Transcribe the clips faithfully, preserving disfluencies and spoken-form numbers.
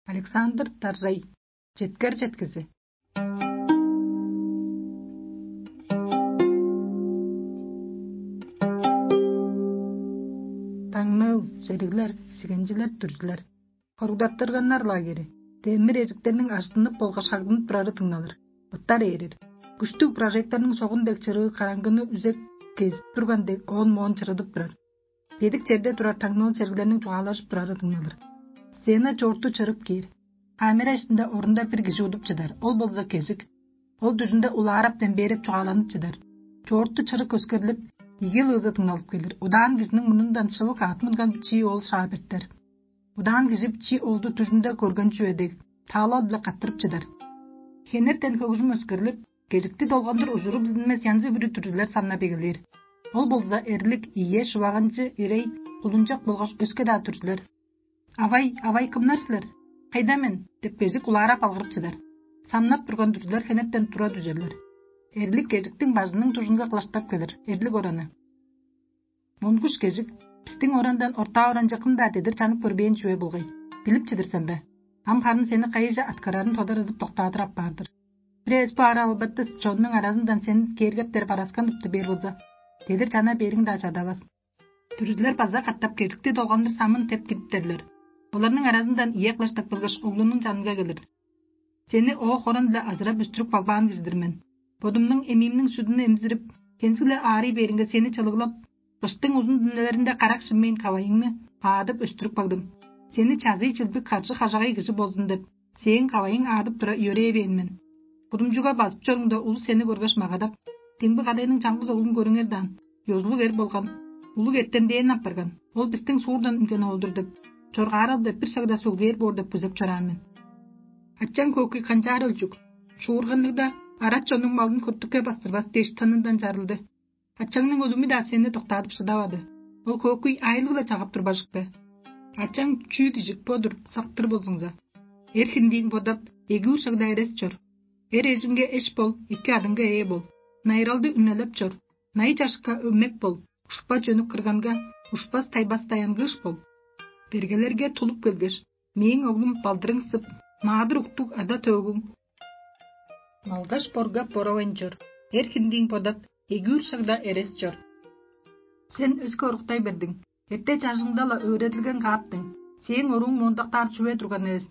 Александр Даржай. Четкер четкизи. Таңныыл, сериглер, сигенчилер, дүрзүлер. Хоругдаттырганнар лагери. Демир эжиктерниң ажыттынып болгаш шагдынып турары дыңналыр. Ыттар ээрер. Күштүг прожекторнуң согун дег чырыы караңгыны үзек кезип турган дег оон-моон чырыдып турар. Бедик черде турар таңныыл чергилерниң чугаалажып турары дыңналыр. Сцена чоорту чырып кээр. Камера иштинде орунда бир кижи удуп чыдар. Ол болза кежик. Ол дүжүнде улаараптан бээрип чугааланып чыдар. Чоорту чырык өскерлип, ийги ылыызы дыңналып келир. Удаан кижиниң мурнундан шывык аът мынган чии ол шаа бертер. Удаан кижи чи олду дүжүнде көрген чүве дег, таалал-биле каттырып чыдар. Хенертен хөгүжүм өскерлип, кежикти долгандыр ужуру билдинмес янзы-бүрү дүрзүлер самнап эгелээр. Ол болза эрлик, ийе, шываганчы, ирей, кулунчак болгаш өске-даа дүрзүлер. «Авай, авай, кымнар силер? Кайда мен?» — деп кежик улаарап алгырып чыдар. Самнап турган дүрзүлер хенертен тура дүжерлер. Эрлик кежиктиң бажының дужунга кылаштап келир, эрлик ораны. Монгуш кежик, бистиң орандан ортаа оранче кым-даа дедир чанып көрбээн чүве болгай. Билип чыдыр сен бе? Ам харын сени кайыже аткарарын тодарадып доктаадыр апаар-дыр. Бир эвес бо ара албатты чоннуң аразындан сен кээргептер бараскан тыпты бээр болза, дедир чана бериң-даа чадавас. Дүрүзүлер база катап кежикти долгандыр самын теп кидиптерлер. Оларның аразындан ие кылаштап келгеш, оглунуң чанынга келир. Сени оок оран-биле азырап өстүрүп кагбаан кижи-дир мен. Бодумнуң эмиимниң сүдүн эмзирип, кензиг-ле аарый бээринге сени чылыглап, кыштың узун дүннелеринде карак шиммейн кавайыңны аадып өстүрүп кагдым. Сени чазый чылдыг каржы-хажагай кижи болзун деп, сээң кавайың аадып тура йөрээвээн мен. Кудумчуга базып чоруңда, улус сени көргеш магадап: «Демги кадайның чаңгыс оглун көрүңер даан, ёзулуг эр болган, улуг эртемдээн апарган, ол бистиң суурдан үнген оол-дур» — деп, чоргаарал деп бир шагда сөглээр боор деп күзеп чораан мен. Ачаң Көкүй канчаар өлчүк, шуурганныг-даа, арат чоннуң малын көртүкке бастырбас дээш тынындан чарылды. Ачаңның өлүмү-даа сени доктаадып шыдавады. Ол Көкүй айлыг-ла чагып турбажык бе? Ачаң чүү дижик бо-дур, сактыр болзуңза. Эр хиндиин бодап, эгүүр шагда эрес чор. Эр эжиңге эш бол, эки адыңга ээ бол. Найыралды үнелеп чор. Най чашка өмек бол. Ушпа чөнүк кырганга ушпас тайбас даянгыыш бол. Бергелерге тулуп келгеш, мээң оглум балдырың сып, маадыр уктуг ада-төөгүң малдаш боргап боравайн чор. Эр хиндиин бодап, эгүүр шагда эрес чор. Сен өске оруктай бердиң. Эрте чажыңда-ла өөредилген кааптың. Сээң орууң моондактаар чүве турган эвес.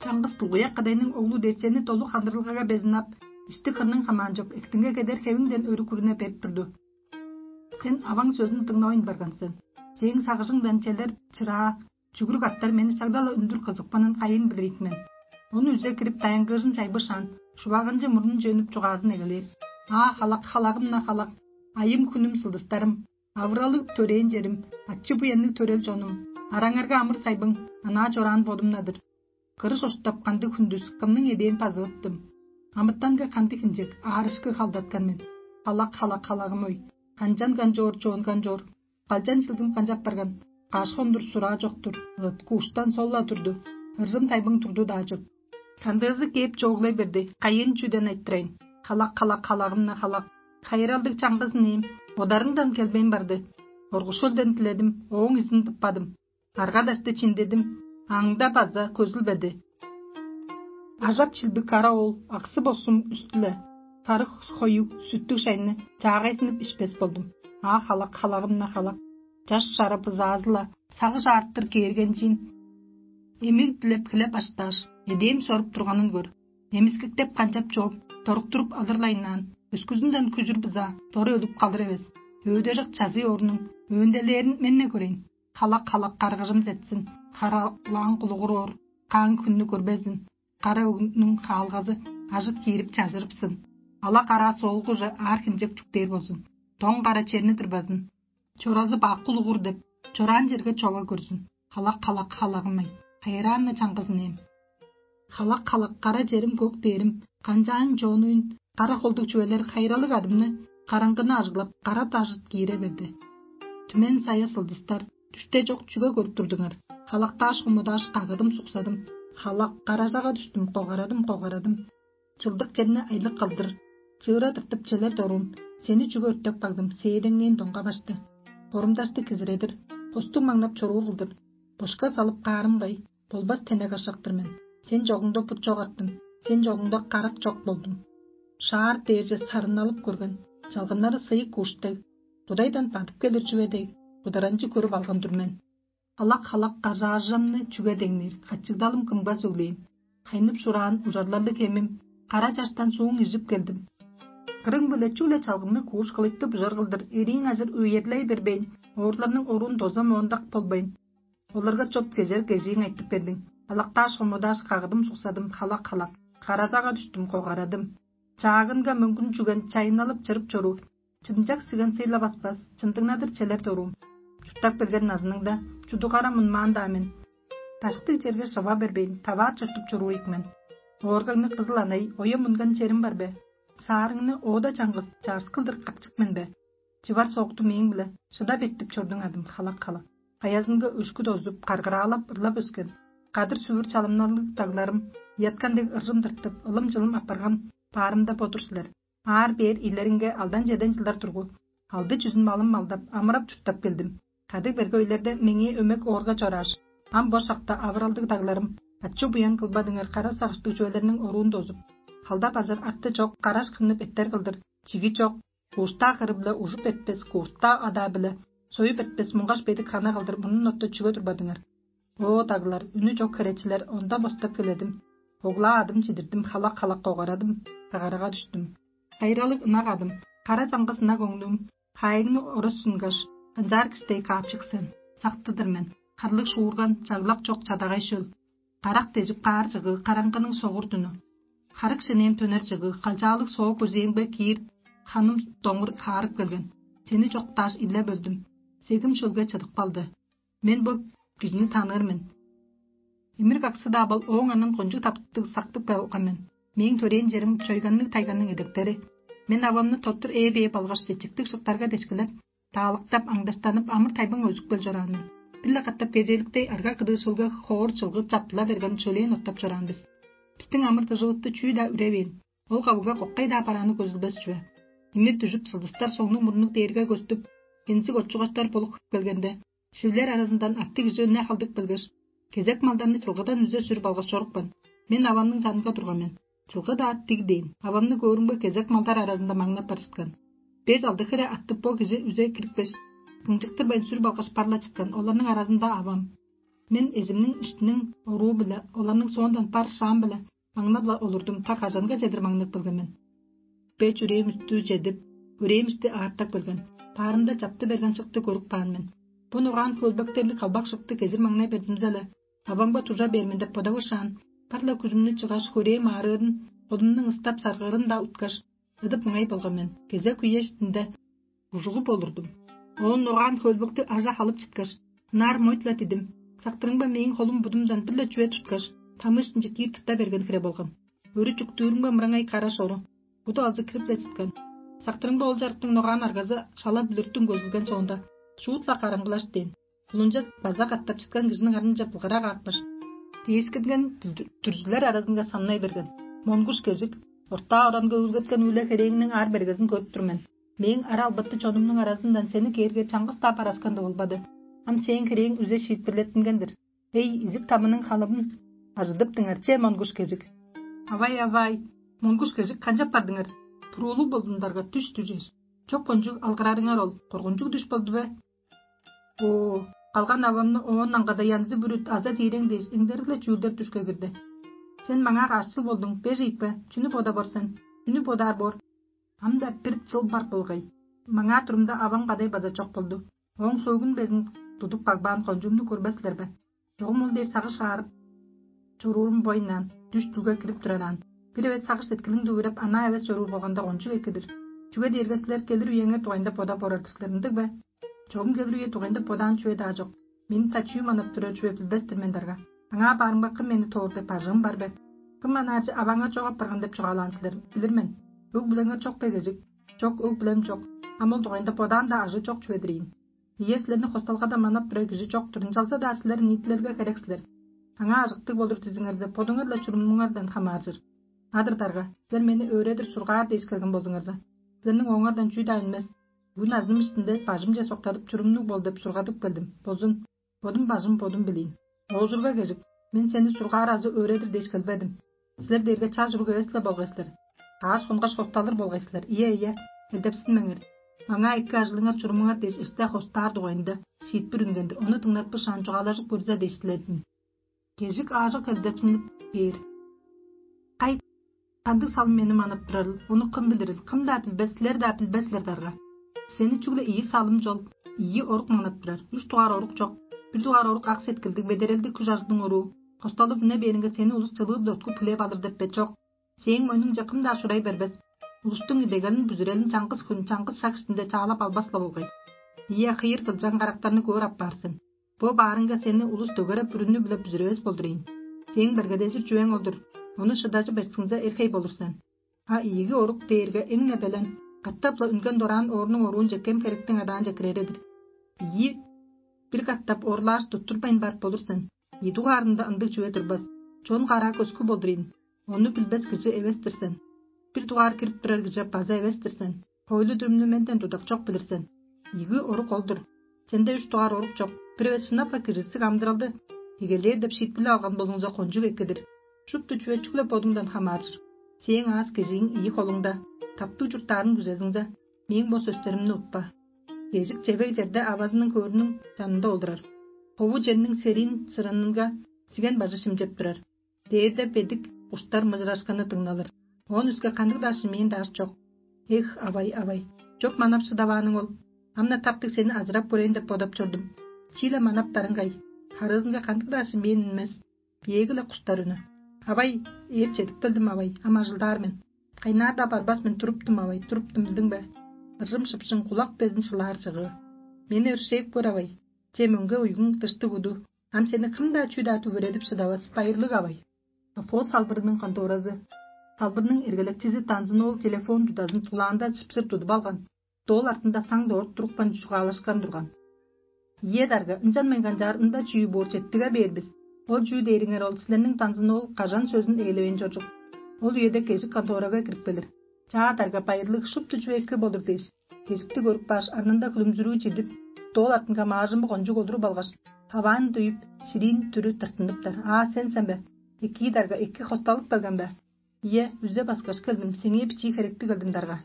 Чаңгыс булгуяк кадайның оглу дээш сени долу хандырылгага безин ап, ишти-хырның хамаанчок эктиңге кедер хевиңден өрү күрүне берип турду. Сен аваң сөзүн дыңнавайн барган сен. Сээң сагыжыңдан челер чыраа, чүгүрүк аттар мени шагда-ла үндүр кызыпканын кайын билир ийик мен. Ону үзе кирип, даянгыыжын чайбышаан, шуваганчы мурнун чөнүп чугаазын эгелээр: «Аа, халак, халагым-на халак, айым-хүнүм, сылдыстарым, авыралыг төрээн черим, ачы-буянныг төрел чонум, араңарга амыр-сайбың, анаа чораан бодум-на-дыр. Кырыш оштап кандыг хүндүс, кымның эдээн базывыттым? Амытанга кандыг хинчек, аарышкы халдаткан мен? Халак, халак, халагым-ой, канчан канчоор, чоон канчоор, балчан чылдым канчап барган, каш хондур сураа чок-тур, ыт кууштан сол-ла турду, ыржым тайбың турду-даа чоп. Кандыызы кээп чооглай берди, кайын чүден айтырайн? Халак, халак, халагым-на халак, хайыралдыг чаңгызын ээн, бодарыңдан келбейн барды. Оргушулдан диледим, ооң изин тыппадым. Арга-дашты чиндедим, аңда база көзүлбеди. Ажап чилбиг кара оол аксы-босум үстү-ле, сарыг хою сүттүг шайны чаагайзынып ишпес болдум. Аа, халак, халагым-на халак, чаш чара бызаазы-ла сагыш аартыр кээргенчиин эмиг дилеп хилеп аштааш, эдээн соруп турганын көр. Эмискиктеп канчап чооп, доруктуруп алырлайнаан, өскүзүнден күжүр бызаа дору өлүп калыр эвес. Өөдежик чазый оорунуң өөнделээрин мен-не көрейн. Халак-халак каргыжым четсин, каралаан кулугур оор, каан хүннү көрбезин. Кара өгнүң хаалгазы ажыт киирип чажырыпсын. Ала кара соолгуже аар хинчек чүктээр болзун. Доң кара черни тырбазын. Чоразы бак кулугур деп, чораан черге чова көрзүн. Халак-халак халагымай, хайыраан-на чаңгызын эм. Халак-халак кара черим, көк дээрим, канчаан чоонуйн, кара холдуг чүвелер хайыралыг адымны, караңгыны ажыглап, кара дажыт киире берди. Түмен сая сылдыстар, дүште чок чүге көрүп турдуңар? Халактааш, хомудааш, кагыдым, суксадым. Халак, каражага дүштүм, когарадым, когарадым. Чылдык черни айлык кылдыр, чыыра тыртып челер доруум, сени чүге өртеп кагдым, сээдеңнээн доңга башты. Хорумдашты кизиредир, хостуг маңнап чоруур кылдыр. Бошка салып каарымгай, болбас тенек ашак-тыр мен. Сен чогуңда бут чок арттым, сен чогуңда карак чок болдум. Шаар дээрже сарынналып көрген, чалгыннары сыйык куш дег, кудайдан бадып келир чүве дег, бударанчы көрүп алган-дыр мен. Алак-халак кажаажамны чүге деңнир, качыгдалым кымга сөглээн? Хайнып шураан ужарларлыг хемим, кара чаштан сууң ижип келдим. Кырың-биле чүгле чалгымныг кууш кылыйтты бужар кылдыр, эрииң ажыр үерлей бербейн, оорларның оруун доза моондак болбайн, оларга чоп кезер кежииң айтып бердиң. Алактааш, хомудааш, кагыдым суксадым, халак-халак, каражага дүштүм, когарадым. Чаагынга мөңгүн чүген чайынналып чырып чоруур, чымчак сиген сыйла баспас, чындыңнадыр челер доруум. Чурттап келген назыныңда чудугара мунмаан-даа мен. Даштыг черге шыва бербейн, таваар чуртуп чоруур ийик мен. Ооргаңны кызыл анай, оя мунган черим бар бе? Саарыңны оода чаңгыс чаарыс кылдыр капчык мен бе? Чывар соокту мээң-биле шыдап эртип чордуң адым, халак-халак. Аязынга өшкү дозуп, каргыраалап, ырлап өскен, кадыр-сүвүр чалымналыг дагларым ыяткан дег ыржым тыртып, ылым-чылым апарган баарымда бо-дур силер. Аар-бээр ийлериңге алдан-чеден чылдар тургу, алды чүзүн малым малдап, амырап-чурттап келдим. Кадыг-берге өйлерде меңээ өмек оорга чорааш, ам бо шакта авыралдыг дагларым, ачы-буян кылбадыңар, кара сагыштыг чүвелерниң оруун дозуп, халда бажар арты чок, караш хыннып эттер кылдыр, чиги чок, куштаа кыры-биле ужуп эртпес, куртаа адаа-биле союп эртпес муңгаш бедик хана кылдыр мурнун отта чүге турбадыңар? О, даглар, үнү чок херечилер, онда бостап келедим. Оглаа адым чидирдим, халак-халак когарадым, кагарага дүштүм. Хайыралыг ынак адым, кара чаңгыс ынак оңнуум, хаайыңны орус сунгаш, канчаар киштей каапчык сен. Сактыдыр мен, харлыг шуурган, чаглак чок чадагай шөл. Карак дежип каар чыгыы, караңгының согур дүнү. Харык шенээм төнер чыгыы, калчаалыг соо көзээңбе киир, ханым доңур хаарып келген. Сени чоктааш, илеп өлдүм. Сегим шөлге чыдып калды. Мен бо кижини таныыр мен. Имир каксы-даа бол, ооң анын кончуг таптыг сактып калган мен. Мээң төрээн черим чойганныг тайганның эдектери. Мен авамны тоттур ээ-бээ болгаш чечиктиг шыктарга дешкилеп, таалыктап, аңдаштанып, амыр-тайбың өзүп кел чораан мен. Бир-ле катап кезээликтей арга-кыдыы шөлге хоор чылгы чаптыла берген чөлээн оттап чораан бис. Бистиң амыр-дыжывысты чүү-даа үревээн, ол кавыга коккай-даа барааны көзүлбес чүве. Имир дүжүп, сылдыстар соңнуг-мурнуг дээрге көстүп, хензиг отчугаштар болуп хып келгенде, шивлер аразындан аттыг кижи өне халдып келгеш: «Кезек малдарны чылгыдан үзе сүрүп алгаш чорупкан. Мен авамның чанынга турган мен. Чылгы-даа тиг дээн, авамны көөрүмге кезек малдар аразында маңнап барышкан. Беш-алды хире атты бо кижи үзе кирипкеш, кыңчыктырбайн сүрүп алгаш, бар-ла чыткан. Оларның аразында авам. Мен эзимниң иштиниң оруу-биле, оларның соондан бар шаам-биле маңнап-ла олурдум, та кажанга чедир маңнап келген мен. Бе чүрээм үстү чедип, үрээмишти аартак келген. Баарында чапты берген шыкты көрүп каан мен. Бо ногаан хөөлбектерлиг калбак шыкты кезир маңнай берзимзе-ле, авамга тужа бээр мен деп бодавышаан, бар-ла күжүмнү чыгаш, хөрээм аарыырын, холумнуң ыстап саргыырын-даа уткаш, ыдып мыңай болган мен. Кезек үе иштинде ужугу болурдум. Оон ногаан хөөлбекти ажа халып чыткаш, ынаар мойт-ла дидим. Сактырыңба мээң холум будумдан бир-ле чүве туткаш, тамыышынче киир тырта берген хире болган. Өрү чүктүүрүмге мыраңай кара шору, буду алзы кирип-ле чыткан. Сактырыңба ол чарыктың ногаан аргазы шала бүлүрттүң көзүлген соонда, шуут-ла караңгылаш дээн. Кулунче база катап чыткан кижиниң арынче былгырак аапкаш, дээшкинген дүрзүлер аразынга самнай берген. Монгуш кежик, ортаа оранга үүлгеткен үле херээңниң аар-бергезин көрүп тур мен. Мээң ара албатты чонумнуң аразындан сени кээрге чаңгыс-даа бараскан болбады. Ам сээң херээң үзе шиитпирлеттинген-дир. Эй, изик тамының халыбын ажыдыптыңар, че, монгуш кежик. Авай, авай, монгуш кежик, канчап бардыңар? Туруулуг болдундарга дүш дүжеш. Чок кончуг алгырарыңар ол, коргунчуг дүш болду бе? Оо, калган авамны оон аңгада янзы бүрүт аза диирең дээш, эңдерик-ле чүүлдер дүшке кирди. Сен маңаа каш чыл болдуң, беш ийикпе? Чүнү бодап ор сен? Чүнү бодаар боор? Ам-даа бир чыл бар болгай. Маңаа турумда авам кадай база чок болду. Ооң сөөгүн безин тудуп кагбаан кончуумну көрбес силер бе? Чогум ол дээш сагыш аарып чоруурум бойнаан, дүш чүлге кирип турараан. Бир эвес сагыш сеткилиң дүвүреп, анаа эвес чоруур болганда кончуг экидир. Чүге дээрге силер келир үеңер дугайында бодап орар-дыр силер, ындыг бе? Чогум келир үе дугайында бодаан чүве-даа чок. Мени тачуу манап турар чүве билбес-тир мен дарга. Аңаа баарымга кым мени тоор деп бажыым бар бе? Кым анаарже аваңар чок апарган деп чугаалаан силер, билир мен. Өг-бүлеңер чок бе кежик? Чок, өг-бүлем чок. Ам ол дугайында бодаан-даа ажыы чок чүве-дир ийин. Ийе, силерни хосталгада манап турар кижи чок-тур, ынчалза-даа силер ниитилелге херек силер. Аңаа ажыктыг болур дизиңерзе, бодуңар-ла чурумнуңардан хамааржыр. Адыр дарга, силер мени өөредир сургаар дээш келген болзуңарза, силерниң ооңардан чүү-даа үнмес. Бүгүн азым иштинде бажымче соктадып, чурумнуг бол деп сургадып келдим. Болзун, бодум бажым бодум билиин. Оозурга кежик, Мен сени сургаар азы өөредир дээш келбедим. Силер дээрге чаш уруг эвес-ле болгай силер. Кааш хонгаш хосталыр болгай силер. Ийе, ийе, элдепсинмеңер. Маңаа эки ажылыңар чурумуңар дээш эсте хостаар дугайында шиитпир үнгендир. Ону дыңнатпышаан чугаалажып көрзе дээш диледим. Кежик аажок элдепсинип бээр. Кай, кандыг салым мени манап турарыл, ону кым билирил, кым-даа билбес, силер-даа билбес силер дарга. Сени чүгле ийи салым чол, ийи орук манап турар, үш дугаар орук чок, бир дугаар орук ак сеткилдиг, бедерелдиг күш ажылдың оруу. Косталып үне бээринге сени улус чылыы-биле уткуп хүлээп алыр деп бе чок. Сээң мойнуңче кым-даа шурай бербес. Улустуң идегелин бүзүрелин чаңгыс хүн, чаңгыс шак иштинде чаалап албас-ла болгай. Ийе, хыйыр кылчаан карактарны көөр апаар сен. Бо баарынга сени улус дөгере бүрүнү-биле бүзүревес болдур ийин. Сээң бергедезир чүвең ол-дур. Ону шыдажы берсиңзе, эрхей болур сен. А ийиги орук дээрге эң-не белен, катап-ла үнген дораан оорнуң оруунче кем херектиң адаанче кирере-дир. Ийи бир катап орлааш туттурбайн барып болур сен. Ийи дугаарында ындыг чүве турбас. Чон караа көскү болдур ийин. Ону билбес кижи эвес-тир сен. Бир дугаар кирип турар кижи база эвес-тир сен. Хойлу-дүрүмнү менден тудакчок билир сен. Ийиги орук ол-дур. Сенде үш дугаар орук чок. Бир эвес шынап-ла киризиг амыдыралды эгелээр деп шиитпирлеп алган болуңза, кончуг эккедир. Шупту чүве чүгле бодуңдан хамааржыр. Сээң аас кежииң ийи холуңда, таптыг чурттаарың күзезиңзе, мээң бо сөстеримни утпа. Кежик чевег черде авазының хөөрүнүң чанында олурар. Хову черниң сериин сыранынга сиген бажы шимчеп турар. Дээрде бедик уштар мыжырашканы дыңналыр. Оон үске кандыг-даа шимээн даш чок. Эх, авай, авай, чоп манап шыдавааның ол. Амна таптыг сени азырап көрейн деп бодап чордум. Чииле манап барыңгай. Харыызынга кандыг-даа шимээн үнмес. Биеги-ле куштар үнү. Авай, ээп чедип келдим, авай, ам ажылдаар мен. Кайнаар-даа барбас мен, туруптум, авай, туруптум, билдиң бе? Ыржым шыпшың кулак безин шылаар чыгыы. Мени өршээп көр, авай. Че мөңге уйгуң дыштыг уду. Ам сени кым-даа чүү-даа түгүредип шыдавас, байырлыг авай. Совхоз салбырының конторазы. Салбырның эргелекчизи Танзын-оол телефон тудазын тулаанда чыпсыр тудуп алган. Доол артында саң дорт турупкан чугаалашкан турган. Ийе дарга, ынчан мен канчаар ында чүү боор четтиге бээр бис. Ол чүү дээриңер ол силерниң Танзын-оол кажан сөзүн ээлевейн чоржук. Ол үеде кежик конторага кирип келир. Чаа дарга, байырлыг, шупту чүве эки болур дээш, кежикти көрүп кааш, арнында хүлүмзүрүү чидип, доол артынга маажымы кончуг олуруп алгаш, хаваан дуюп, шириин түрү тыртыныптар. Аа, сен сен бе? Экии дарга, эки хосталып келген бе? Ийе, үзе баскаш келдим, сеңээ бичии херекти келдим дарга.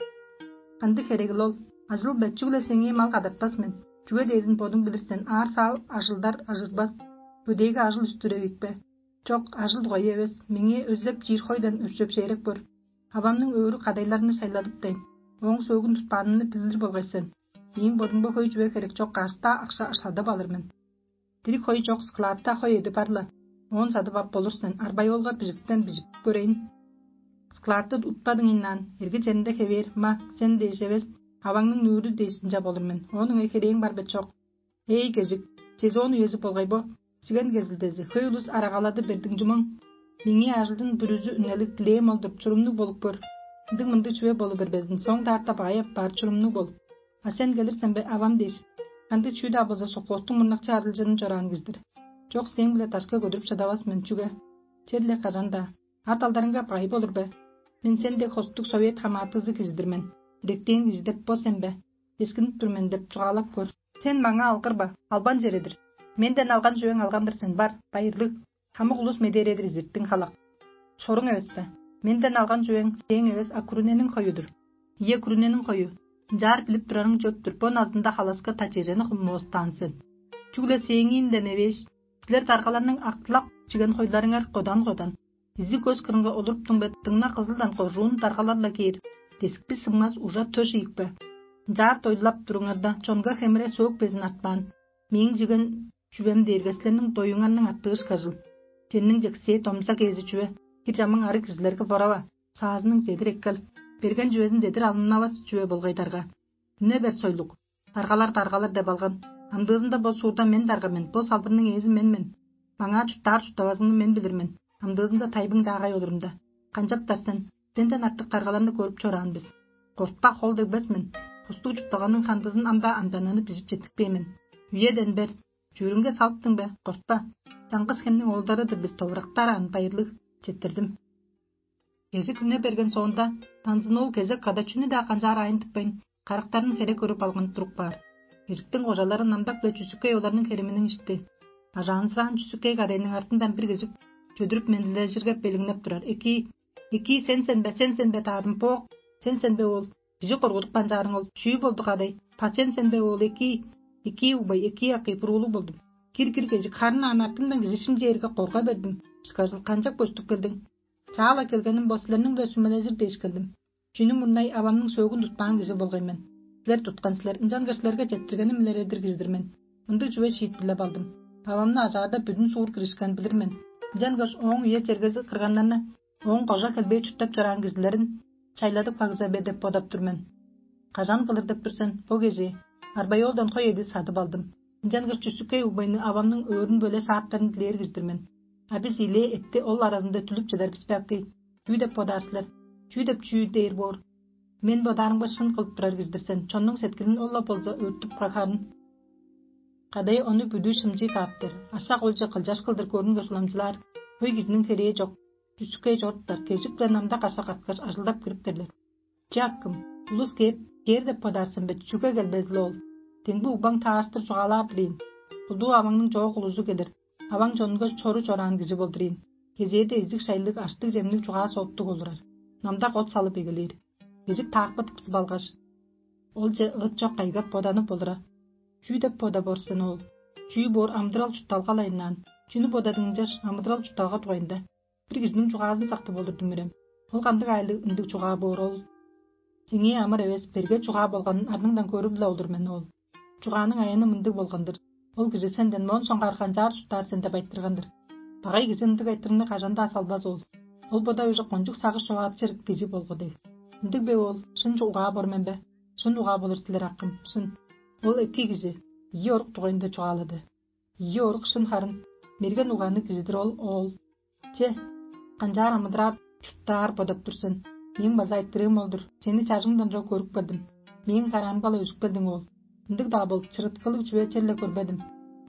Кандыг херегил ол? Ажыл бе, чүгле сеңээ мал кадатпас мен. Чүге дээрзин бодуң билир сен, аар-саал ажылдар ажырбас. Бөдээге ажыл үстүр эвикпе? Чок, ажыл дугайы эвес, меңээ өзеп чиир хойдан өрчеп шээреп көр. Авамның өөрү кадайларны шайладыптайн, ооң сөөгүн тутпаанымны билир болгай сен. Мээң бодумга хөй чүве херек чок, каш-даа акша садып алыр мен. Дириг хой чок, складта хой эди бар-ла. Оон садып ап болур сен, арбай олга бижиктен бижип көрейн. Складты утпадың ийнаан, эрги черинде хевээр, ма, сен дээш эвес, аваңның нүүрү дээш ынча болур мен. Оон ыңай херээң бар бе чок? Эй, кежик, сезон үези болгай бо. Сиген кезилдези, хөй улус арагалады бердиң чумаң. Меңээ ажылдың бүрүзү үнелиг дилээм ол-дур, чурумнуг болуп көр. Ындыг-мындыг чүве болу бербезин, соң даарта баай аппаар чурумнуг бол. А сен келир сен бе, авам дээш, кандыг чүү-даа болза, соккуостуң мурнакчы арылчыын чораан кижи-дир. Чок, сээң-биле дашка көдүрүп шыдавас мен, чүге? Черле кажан-даа. А далдарыңга бай болур бе? Мен сен дег хостуг совет хамаатызы кижи-дир мен. Иректээң кижи деп бо сен бе? Дескинип тур мен деп чугаалап көр. Сен маңаа алгырба, албан чередир. Менден алган чүвең алган-дыр сен, бар, байырлыг. Хамык улус медээредир изиртиң халак. Соруң эвес бе? Менден алган чүвең сээң эвес, а күрүнениң хою-дур. Ийе, күрүнениң хою. Ынчаар билип турарың чөп-түр, бо назында халаска тачыыжаны хумнувустаан сен. Чүгле сээңиинден эвээш, силер даргаларның актылап чиген хойларыңар кодан-кодан. Изи көс кырынга олуруптуң бе, дыңна кызылдан кожуун даргалар-ла кээр, дескпи сыңмас ужа төш ийикпе. Ынчаар дойлап туруңарда, чонга хемире сөөк безин артпаан. Мээң чиген чүвем дээрге силерниң доюңарның аттыышкажыл. Ченниң чексээ домза кээзи чүве, хир чамың арыг кижилерге борава, саазының дедир эккел. Берген чүвезин дедир алыннавас чүве болгай дарга. Үне бер сойлук. Даргалар, даргалар деп алган. Амдыызында бо суурда мен дарга мен, бо салбырның ээзи мен мен. Маңаа чурттаар чурттавазыңны мен билир мен. Амдыызында тайбың чаагай олурумда. Канчаптар сен? Сенден артык даргаларны көрүп чораан бис. Кортпа, хол дегбес мен. Хостуг чуртталганың хандызын ам-даа амдананы бижип четтикпээн мен. Үеден бер. Чүүрүңге салыптың бе? Кортпа. Чаңгыс хемниң оолдары-дыр бис, товурактар аан, байырлыг. Четтирдим. Кежик үне берген соонда, Танзын-оол кезек када чүнү-даа канчаар аайын тыппайн, карактарын хере көрүп алган туруп каар. Кежиктиң кожалары намдак-биле чүсүккей оларның хериминиң ишти. Бажаанзыраан чүсүкей кадайның артындан бир кижик чөдүрүп мендилежирге белиңнеп турар: «Экии, экии, сен сен бе, сен сен бе, таадым, боок, сен сен бе ол? Кижи коргудуп канчаарың ол? Чүү болду, кадай? Па сен сен бе ол? Экии, экии, угбай, экии, акый, буруулуг болдум. Кир, кир, кежик, харын аан артыңдан кижи шимчээрге корга бердим. Шкажыл канчап көстүп келдиң? Чаала келгеним бо силерниң-биле сүмележир дээш келдим. Чүнү мурнай авамның сөөгүн тутпаан кижи болгай мен. Силер туткан силер, ынчангаш силерге четтиргеним илередир кижи-дир мен. Ындыг чүве шиитпирлеп алдым. Авамны ажаарда бүдүн суур киришкен билир мен. Ынчангаш ооң үе чергези кырганнарны, ооң кожа хелбээ чурттап чораан кижилерин чайладып кагза бе деп бодап тур мен. Кажан кылыр деп тур сен, бо кежээ? Арбайолдан хой эди садып алдым. Ынчангаш чүстүккей угбайны авамның өөрүн бөле сааптарын дилээр кижи-дир мен. А бис ийилээ этти ол аразында түлүп чыдар бис бе, акый? Чүү деп бодаар силер? Чүү деп чүү дээр боор? Мен бодаарымга шын кылып турар кижи-дир сен, чоннуң сеткилин ол-ла болза өттүп кагарын. Кадай ону бүдүү шымчыы кааптар, ашак олче кылчаш кылдыр көрүнгеш уламчылаар, хөй кижиниң херээ чок, чүстүккей чоруптар, кежик-биле намда кашак арткаш ажылдап кириптерлер. Чааккым, улус кээп, кээр деп бодаар сен бе, чүге келбезил ол? Демги угбаң таарыштыр чугаалаар-дыр ийин. Кулдуу аваңның чоок улузу келир, аваң чонунга чору чораан кижи болдур ийин. Кезээде изиг-шайлыг, аштыг-чемниг чугаа-сооктуг олурар. Намдак от салып эгелээр. Кежик таакпы тыпсып алгаш, олче ыт чок кайгап боданып олура. Чүү деп бода боор сен ол? Чүү боор амыдырал-чуртталгалайыннаан? Чүнү бодадың ынчаш амыдырал-чуртталга дугайында? Бир кижиниң чугаазын сактып олурдум үрем. Ол кандыг аайлыг ындыг чугаа боор ол? Сеңээ амыр эвес, берге чугаа болганын арныңдан көрүп-ле олур мен ол. Чугааның аяны мындыг болган-дыр: ол кижи сенден моон соңгаар канчаар чурттаар сен деп айтырган-дыр. Багай кижи ындыг айтырыгны кажан-даа салбас ол. Ол бода уже кончуг сагыш човаадычыр кижи болгу дег. Ындыг бе ол? Шын угаа бор мен бе? Шын угаа болур силер, акым, шын. Ол эки кижи ийи орук дугайында чугаалады. Ийи орук шын харын. Мерген угаанныг кижи-дир ол оол. Че, канчаар амыдыраар, чурттаар бодап тур сен. Мээң база айтырыым ол-дур: сени чажыңдан чок көрүп келдим. Мээң караамга-ла өзүп келдиң ол. Ындыг-даа болуп, чырыткылыг чүве черле көрбедим.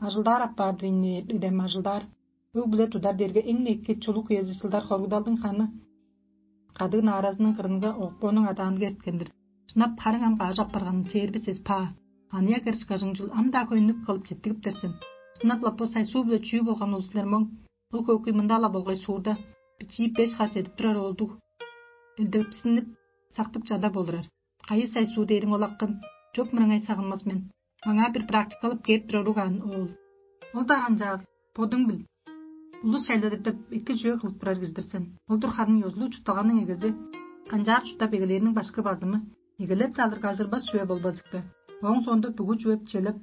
Ажылдаар апаар-дыр ийин ирем, ажылдаар. Өг-бүле тудар дээрге эң-не эки чулук үези чылдар хоругдалдың ханы кадыын ааразының кырынга окпооның адаанга эрткен-дир. Шынап, харың ам каш апарганын чээрби сес паа. Аныяк эрш кажыңчыл ам-даа хөйнүк кылып четтигиптер сен. Шынап-ла бо сайсуу-биле чүү болган ол силер моң? Ол хөөгкүй мында-ла болгай суурда бичии беш хар чедип турар оолдуг элдепсинип, сактып чада болурар. Кайы сайсуу дээриң ол, акым? Чоп мырыңай сагынмас мен. Маңаа бир практикалап кээп турар угаан оол. Ол-даа канчаал, бодуң бил. Улус шайлады деп эки чүве кылып турар кижи-дир сен. Ол-дур харын ёзулуг чуртталганың эгези, канчаар чурттап эгелээрниң башкы базымы. Эгелеп-даа алырга ажырбас чүве болбазыкты. Ооң соонда бүгү чүве челеп,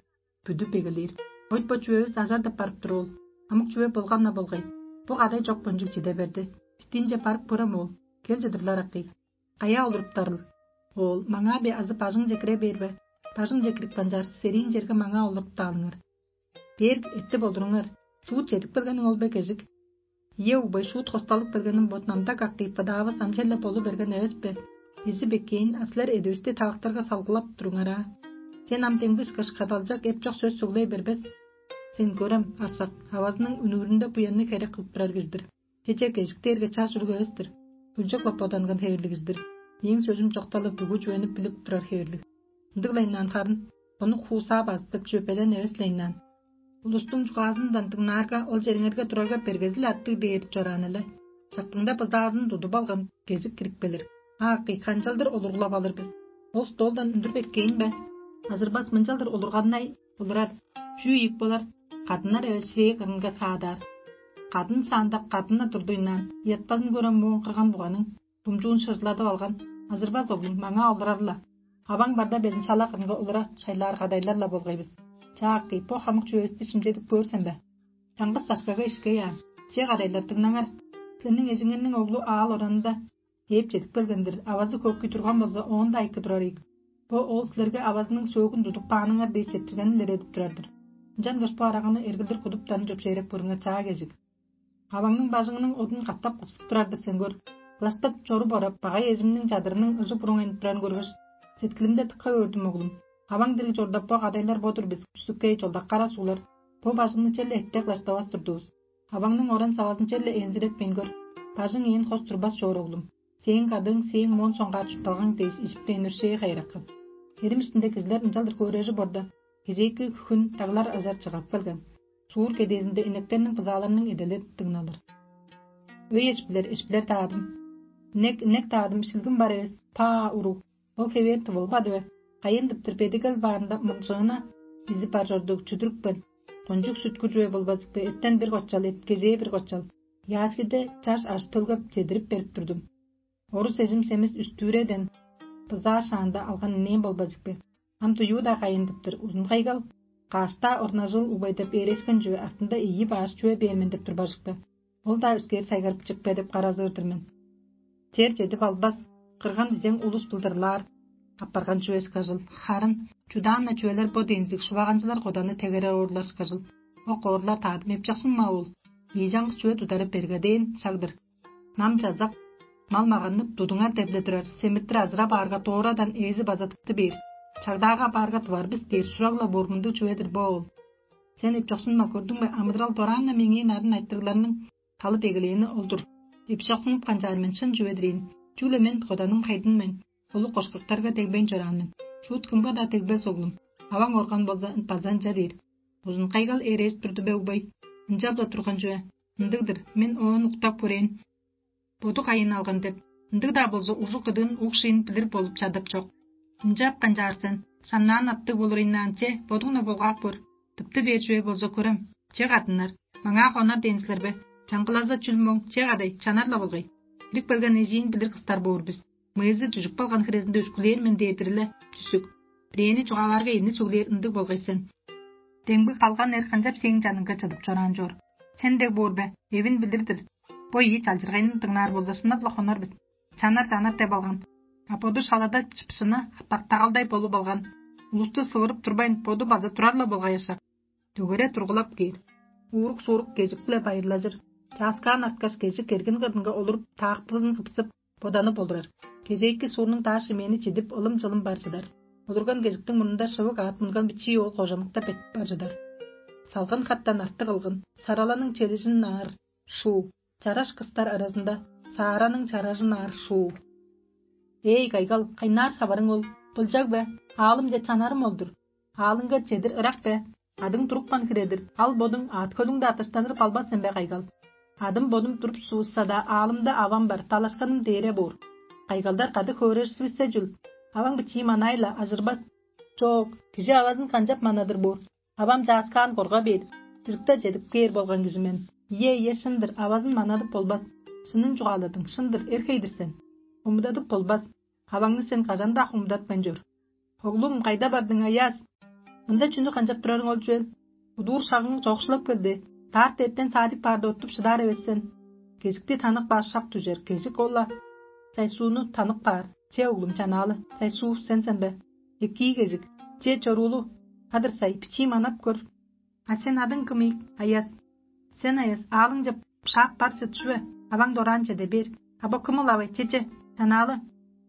бүдүп эгелээр. Ойт бо чүвевис ажар деп барып тур ол. Амык чүве болган-на болгай. Бо кадай чок кончуг чиде берди. Бистиинче барып көрем ол. Кел чыдырлар акый. Каяа олуруптарыл? Оол, маңаа бе азы бажыңче кире бээр бе? Бажыңче кирип канчаарсы, сериин черге маңаа олуруптаалыңар. Бээр эттип олуруңар. Шуут чедип келгениң ол бе, кежик? Ийе, угбай, шуут хосталып келгеним бот намда как кыйпадаавыс ам черле болу берген эвес бе? Изи беккээн, а силер эдивисти тавактарга салгылап туруңар аа. Сен ам демги ышкаш кадалчак эп чок сөс сөглей бербес. Сен көрем, ашак, авазының үнүүрүнде буянныг херек кылып турар кижи-дир. Чечек эжик дээрге чаш уруг эвес-тир, өлчек-ла боданган хевирлиг кижи-дир. Мээң сөзүм чокталып, бүгү чүвени билип турар хевирлиг. Ындыг-ла ынаан харын, ону хуусаа базыттып, чөпелен эвес-ле ынаан. Улустуң чугаазындан дыңнаарга, ол чериңерге турарга бергези-ле артыг дээр чораан эле. Сактыңда быздаазын тудуп алган кежик кирип келир. Ааккый, канчалдыр олургулап алыр бис? Ол столдан үндүр беркээн бе? Азырбас мынчалдыр олурганнай олурар. Чүү ийик болар? Кадыннар эвес ширээ кырынга саадаар. Кадын саандак кадынна турдуйнаан, ыятпазын көрем муун кырган буганың думчуун шыжыладып алган. Азырбас оглум, маңаа олурар-ла. Аваң барда безин шала кырынга олура шайлаар кадайлар-ла болгай бис. Чааккый, бо хамык чүвевисти шимчедип көөр сен бе? Чаңгыс дашкага ишкей аан. Че, кадайлар, дыңнаңар. Силерниң эжиңерниң оглу аал оранында ээп чедип келген-дир, авазы көккүй турган болза, оон-даа эки турар ийик. Бо ол силерге авазының сөөгүн тудуп кааныңар дээш четтиргенин илередип турар-дыр. Ынчангаш бо араганы эргилдир кудуптарын чөпшээреп көрүңер, чаа кежик. Аваңның бажыңының одун катап кыпсып турар-дыр сен көр. Кылаштап чоруп орап, багай эжимниң чадырының ыжы буруңайнып турарын көргеш, сеткилимде тыкка өөрдүм, оглум. Аваң дириг чорда бо кадайлар бо-дур бис, күстүккей чолдак кара суулар. Бо бажыңны черле эттек кылаштавас турдувус. Аваңның оран-савазын черле энзиретпейн көр. Бажың ээн хос турбас чоор, оглум. Сээң кадыың, сээң моон соңгаар чуртталгаң дээш ижиптейн өршээ хайыраккан. Эрим иштинде кижилер ынчалдыр хөөрежип орда, кезээки хүн даглар ажар чыгап келген. Уур кедээзинде инектерниң бызааларының эдели дыңналыр. Өй эшпилер, эшпилер даадым. Инек, инек даадым, шилгим бар эвес, паа уруг. Ол хевээр тывылбады бе? Кайын-дыптыр бедигел баарында мылчыына изип бар чордуг чүдүрүпкен. Кончуг сүткү чүве болбазыкты эттен бир кочал, эткежээ бир кочал. Яслиде чаш аш төлгеп чедирип берип турдум. Орус эжим семис үстүүреден бызаа шаанда алган инээн болбазыкты. Ам дуюуда кайын-дыптыр узун кайгал, каашта орнажыл угбай деп ээрешкен чүве артында ийи баш чүве бээр мен деп турбажыкты. Ол-даа үскээр сайгарып чыкпе деп каразыыр-дыр мен. Чер чедип албас, кырган дижең улус былдырлаар, апарган чүве ышкажыл. Харын чудаан-на чүвелер бо деңзиг шуваганчылар коданны тегерер оорлар ышкажыл. Ок оорлар таадым эпчаксынма ол. Ийжаңгы чүве тудары бергадээн шагдыр. Нам чазак, мал маганнып, тудуңар дебле турар, семиртир азырап аарга доорадан ээзи база тыпты бээр. Чагдаага апаарга тывар бис дээр сураг-ла боор мындыг чүве-дир бо ол. Сен эпчоксунма, көрдүң бе, амыдырал дораан-на меңээ нарын айтырыгларның талы дегелээни ол-дур. Эпчоксунуп канчаар мен шын чүве-дир ийин. Чүгле мен коданым хайдын мен, улуг кошкактарга дегбейн чораан мен. Шуут кымга-даа дегбес оглум. Аваң орган болза база ынча дээр. Узун кайгал ээрээш турду бе угбай? Ынчап-ла турган чүве. Ындыг-дыр, мен оон уктап көрээн. Боду кайын алган деп, ындыг-даа болза ужук кыдыын уг шыйын билир болуп чадап чок. Ынчап канчаар сен, шамнаан аттыг болур ыйнаан че, бодуң-на болгаап көр. Тыпты бээр чүве болза көрем, че кадыннар, маңаа хонар дээн силер бе? Чаңгылаза чүл моң, че кадай, чанар-ла болгай. Ирип келген эжиин билир кыстар боор бис. Мыйызы дүжүп калган хирезинде үскүлээр мен дээрдир-ле дүсүк. Бирээни чугаалаарга эни сөглээр ындыг болгай сен. Демги калган эр канчап сээң чаныңга чыдып чораан чоор? Сен дег боор бе? Эвин билир-дир. Бо ийи чалчыргайны дыңнаар болза, шынап-ла хонар бис. Чанар-чанар деп алган. А боду шалада чыпшыны тагалдай болуп алган. Улусту сывырып турбайн, боду база турар-ла болгай ашак. Дөгере тургулап кээр. Уурук-шуурук кежик-биле байырлажыр. Чааскаан арткаш, кежик эргин кырынга олуруп, таактылын кыпсып, боданып олурар. Кежээки суурнуң даа шимээни чидип, ылым-чылым бар чыдар. Олурган кежиктиң мурнунда шывык аът мунган бичии оол кожамыктап беттип бар чыдар. Салгын хаттан артык ылгын, сараланың челижин аар шуу, чараш кыстар аразында саараның чаражын аар шуу. Эй, кайгал, кайнаар саварың ол? Былчаг бе? Аалымче чанарым ол-дур. Аалыңга чедир ырак бе? Адың турупкан хире-дир, ал бодуң аът-хөлүңде атыштаныр балбас сен бе, кайгал? Адым бодум туруп сувусса-даа, аалымда авам бар, талашканым дээре боор. Кайгалдар кады хөөреживиссе чүл? Аваң бичии манай-ла ажырбас. Чоок, кижи авазын канчап манадыр боор? Авам чааскаан корга бээр, чырыкта чедип кээр болган кижи мен. Ийе, ийе, шын-дыр, авазын манадып болбас. Шынын чугааладың, шын-дыр, эрхей-дир сен. Хомудадып болбас. Аваңны сен кажан-даа хомудатпайн чор. Оглум, кайда бардың, Аяс? Мында чүнү канчап турарың ол чүвел? Удуур шагың чоокшулап келди. Даарт эртен саадик баарда оттуп шыдаар эвес сен. Кежикти танып каар шак дүжер, кежик ол-ла. Сайсууну танып каар. Че, оглум, чанаалы, Сайсуу, сен сен бе? Экии кежик. Че, чоруулу. Адыр сай, бичии манап көр. А сен адың кым ийик, Аяс? Сен, Аяс, аалыңче шаап бар чыт чүве, аваң дораан чеде бээр. А бо кым ылавай, чеже, чанаалы?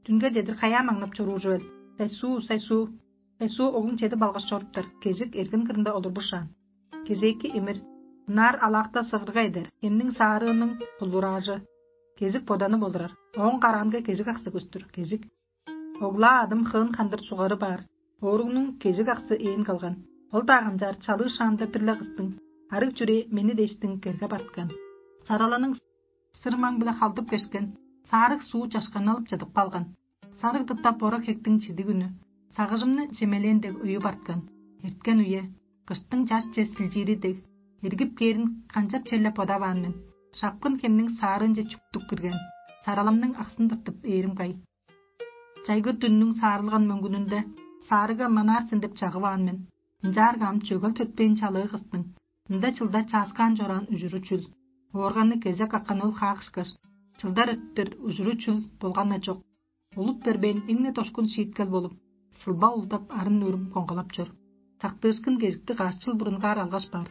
Дүнге чедир каяа маңнап чоруур чүвел? Сайсуу, Сайсуу, Сайсуу, оглуң чедип алгаш чоруптар, кежик эргин кырында олурбушаан. Кежээки имир, ынаар алаакта сывырга эдер, эмниң саарыының булураажы. Кежик боданып олурар, ооң караанга кежик аксы көстүр, кежик. Оглаа адым хыын хандыр сугары баар, ооругнуң кежик аксы ээн калган. Ол-даа канчаар чалыы шаамда бир-ле кыстың, арыг чүрээ мени дээштиң керге барткан. Сараланың сырмаң-биле халдып кешкен, саарыг суу чашканалып чыдып калган. Сарыг дыттап бора хектиң чидиг үнү, сагыжымны чемелээн дег уюп арткан. Эрткен үе, кыштың чарче силчиири дег, эргип кээрин канчап черле бодаваан мен. Шапкын хемниң саарыынче чүктүк кирген, сараламның аксын тыртып ээрим кай. Чайгы дүннүң саарылган мөңгүнүнде саарыга манаар сен деп чагываан мен. Ынчаарга ам чөгел төтпээн чалыы кыстың мында чылда чааскаан чораан ужуру чүл? Оорганны кезек аккан ол хаак ышкаш, чылдар өттүр ужуру чүл болган-на чок. Улуп бербээн эң-не дошкун шииткел болуп, сылба улдап арын-нөрүм коңгалап чор. Сактыышкын кежикти каш чыл бурунгаар алгаш баар.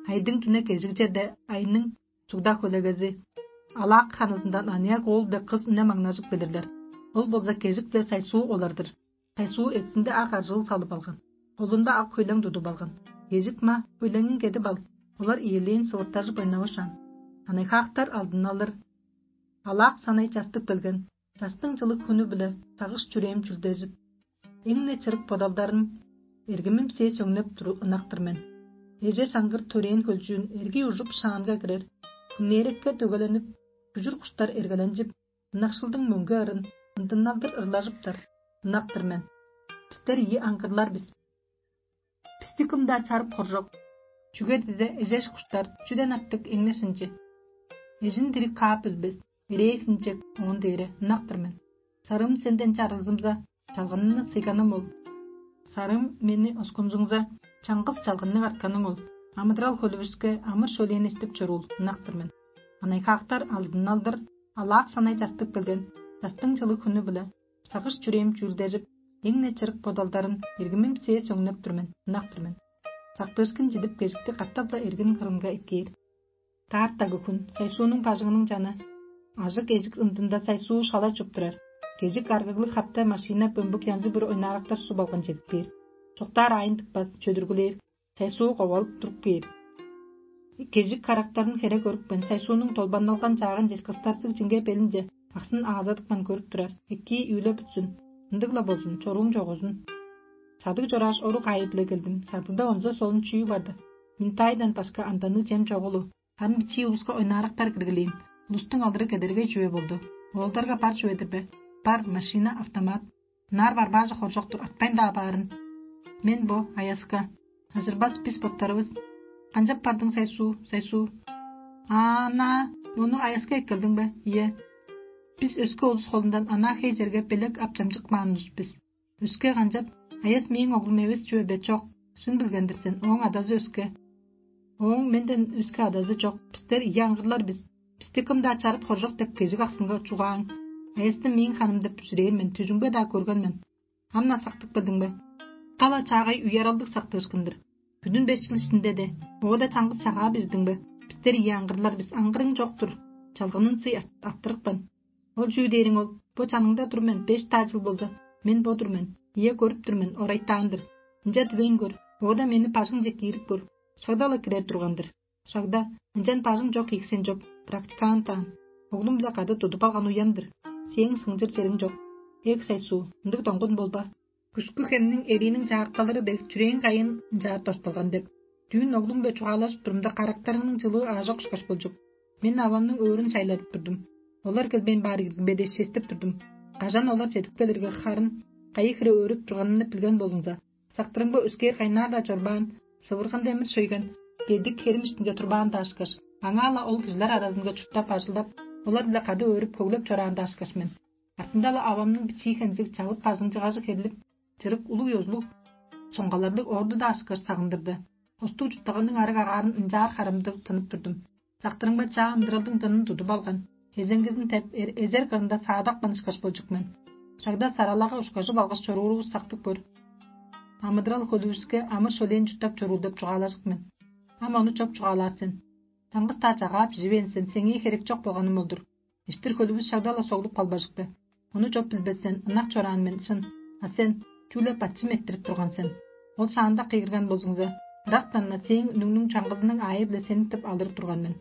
Айдың дүне кежиг черде айның чугда хөлегези алаак ханызындан аныяк оол дег кыс үне маңнажып келирлер. Ол болза кежик-биле Сайсуу олар-дыр. Сайсуу эттинде ак аржыыл салып алган, холунда ак хөйлең тудуп алган. Кежик-ма, хөйлеңиң кедип ал, олар иелээн сывыртажып ойнавышаан. Анайхаактар алдын алыр. Алаак санай частып келген, частың чылыг хүнү-биле сагыш чүрээм чүлдежип, эң-не чырык бодалдарым эргимим сээ сөңнеп туру ынак-тыр мен. Эже саңгыр төрээн хөлчүүн эргий ужуп шаанга кирер, хүннээрекке дөгеленип, күжүр куштар эргеленчип, ынакшылдың мөңге ырын ындынналдыр ырлажыптар, ынак-тыр мен. Бистер ийи аңгырлар бис. Бисти кым-даа чарып хоржок. Чүге дизе эжеш куштар чүден артык эңнеш ынчы. Эжин дириг каап билбес, ирээ хинчек оон дээре ынак-тыр мен. Сарыым сенден чарылзымза, чалганымны сыйганым ол. Сарыым мени оскунзуңза, чаңгыс чалганныг артканың ол. Амыдырал хөлүвүске амыр-шөлээн эстип чоруул, ынак-тыр мен. Анайхаактар алдын алдыр, алаак санай частып келген, частың чылыг хүнү-биле сагыш-чүрээм чүүлдежип, эң-не чырык бодалдарын эргимим сээ сөңнеп тур мен, ынак-тыр мен. Сактыышкын чидип, кежикти катап-ла эргин кырынга эккээр. Таартагы хүн сайсуунуң бажыңының чаны ажык эжик ындында сайсуу шала чуп турар. Кежик аргыглыг хапта машина бөмбүк янзы-бир ойнаарактар суп алган чедип кээр. Чоктаар аайын тыппас, чөдүргүлээр, сайсуу ковалып туруп кээр. Кежик карактарын хере көрүпкен, сайсуунуң долбанналган чаагын ческастарсыг чиңге белинче аксын аазадыпкан көрүп турар. Эккии үүле бүтсүн, ындыг-ла болзун, чоруум чогузун. Садыг чорааш, орук аайы-биле келдим. Садыгда онза солун чүү барды? Минтайдан башка анданныг чем чогулу. Харын бичии улуска ойнаарактар киргилээн, улустуң алыры кедергей чүве болду. Оолдарга бар чүве-дир бе? Бар, машина, автомат. Ынаар барбаажы хоржок-тур, атпайн-даа баарын. Мен бо аяска, ажырбас бис боттарывыс. Канчап бардың, сайсуу, сайсуу? Аана, ону аяска эккелдиң бе? Ийе. Бис өске улус холундан анаа хей черге белек ап чамчыкмаан улус бис. Өске канчап? Аяс мээң оглум эвес чүве бе? Чок, шын билген-дир сен, ооң адазы өске. Ооң менден өске адазы чок. Бистер ийи аңгырлар бис. Бисти кым-даа чарып хоржок деп кежик аксынга чугааң. Аясты мээң ханым деп бүзүрээн мен, түжүңбе-даа көрген мен. Ам-на сактып келдиң бе? Кала чаагай уяралдыг сактыышкын-дыр. Бүдүн беш чыл иштинде де оода чаңгыс чагаа бирдиң бе? Бистер ийи аңгырлар бис, аңгырың чок-тур. Чалгынын сый арттырыпкан. Ол чүү дээриң ол? Бо чаныңда тур мен, беш-даа чыл болза, мен бо-дур мен, ийе, көрүп тур мен, орайтаан-дыр. Ынча дивейн көр, оода мени бажыңче киирип көр, шагда-ла кирер турган-дыр. Шагда, ынчан бажың чок ийиксен чоп, практикант аан. Оглум-биле кады тудуп алган уям-дыр. Сээң сыңчыр чериң чок. Эг сайсуу, ындыг доңгун болба. Күскү хемниң эрииниң чаакталыры дег чүрээң кайын ынчаар тосталган деп, дүүн оглуң-биле чугаалажып турумда, карактарыңның чылыы аажок ышкаш болчук. Мен авамның өөрүн чайладып турдум. Олар келбейн баар иргин бе дээш честеп турдум. Кажан олар чедип келирге, харын кайы хире өөрүп турганымны билген болуңза, сактырымга өскээр кайнаар-даа чорбаан, сывырган демир шөйген, бедик херим иштинге турбаан-даа ышкаш, аңаа-ла ол кижилер аразынга чурттап, ажылдап, олар-биле кады өөрүп, хөглеп чораан-даа ышкаш мен. Артында-ла авамның бичии хензиг чавыт бажыңчыгажы херлип, чырык улуг ёзулуг чоңгаларлыг орду-даа ышкаш сагындырды. Остуг чурттаганның арыг агаарын ынчаар харамдыг тынып турдум. Сактырымга чаа ындыралдың дынын тудуп алган, эзеңгизин деп, эр- эзер кырында саадапкан ышкаш болчук мен. Шагда саралага ушкажып алгаш чоруурувус сактып көр. Амыдырал хөлүвүске амыр-шөлээн чурттап чоруур деп чугаалажык мен. Ам ону чоп чугаалаар сен. Чаңгыс-даа чагаа биживээн сен, сеңээ херек чок болганым ол-дур. Иштир хөлүвүс шагда-ла соглуп калбажыкты. Ону чоп билбес сен, ынак чораан мен, шын. А сен чүгле бачым эрттирип турган сен. Ол шаанда кыйгырган болзуңза, ырактан-на сээң үнүңнүң чаңгызының аайы-биле сениктип алыр турган мен.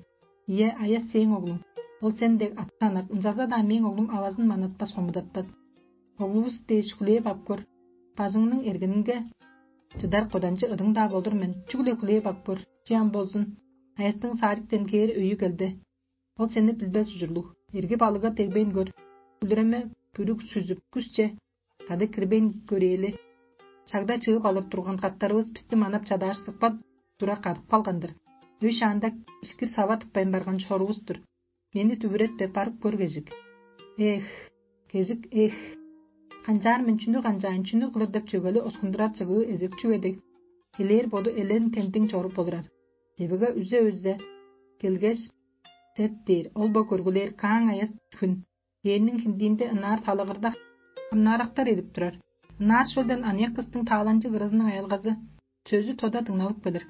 Ийе, аяс сээң оглуң. Ол сен дег ат санап, ынчалза-даа мээң оглум авазын манатпас, хомудатпас. Оглувус дээш хүлээп ап көр. Бажыңның эргенинге чыдар коданчы ыдың-даа болур мен, чүгле хүлээп ап көр, чыям болзун. Аястың садиктен кээр өйү келди. Ол сени билбес ужурлуг. Эрги балыгга дегбейн көр. Бүлүреме бүрүк сүзүп, күсче кады кирбейн көрээли. Шагда чыып алыр турган каттарывыс бисти манап чадааш, сыкпак тура кадып калган-дыр. Өй шаанда ишкир сава тыппайн барган чорувус-тур. Мени дүвүретпе, барып көр, кежик. Эх, кежик, эх! Канчаар мен чүнү канчаайн, чүнү кылыр деп чөгели оскундурар чыгыы эзек чүве дег, элээр боду элен тендиң чоруп олурар. Чевеге үзе-үзе келгеш, сет дээр, ол бо көргүлээр кааң аяс хүн. Дээрниң хиндиинде ынаар талагырда хамнаарактар эдип турар. Ынаар шөлден аныяк кыстың тааланчыг ырызының аялгазы сөзү тода дыңналып келир.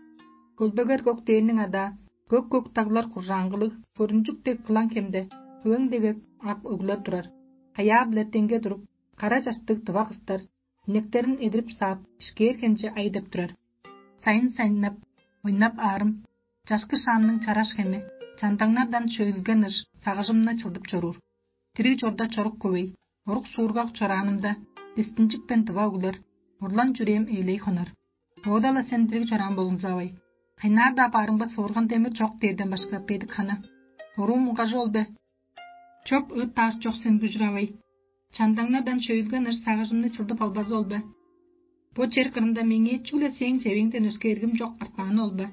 Хөлбегер көк дээрниң адаа, көк-көк даглар куржааңгылыг, көрүнчүк дег кылаң хемде, хөвең дег ак өглер турар. Хаяа-биле деңге туруп, кара чаштыг дыва кыстар, инектерин эдирип саап, ишкээр хемче ай деп турар. Сайын-сайыннап, ойнап аарым, чашкы шаамның чараш хеми, чандаңнардан чөөлген ыш сагыжымны чылдып чоруур. Дириг чорда чорук көвей, орук суургак чораанымда, дистинчикпен дыва өглер, урлан чүрээм ээлей хонар. Оода-ла сен дириг чораан болуңзавай. Кайнаар-даа баарыңба соорган демир чок дээрден башка бедик хана. Оруум угажы ол бе? Чоп ыыт баар чок сен, күжүр авай. Чандаңнадан шөйлген ыш сагыжымны чылдып албазы ол бе? Бо чер кырында меңээ чүгле сээң чевеңден өске эргим чок артмааны ол бе?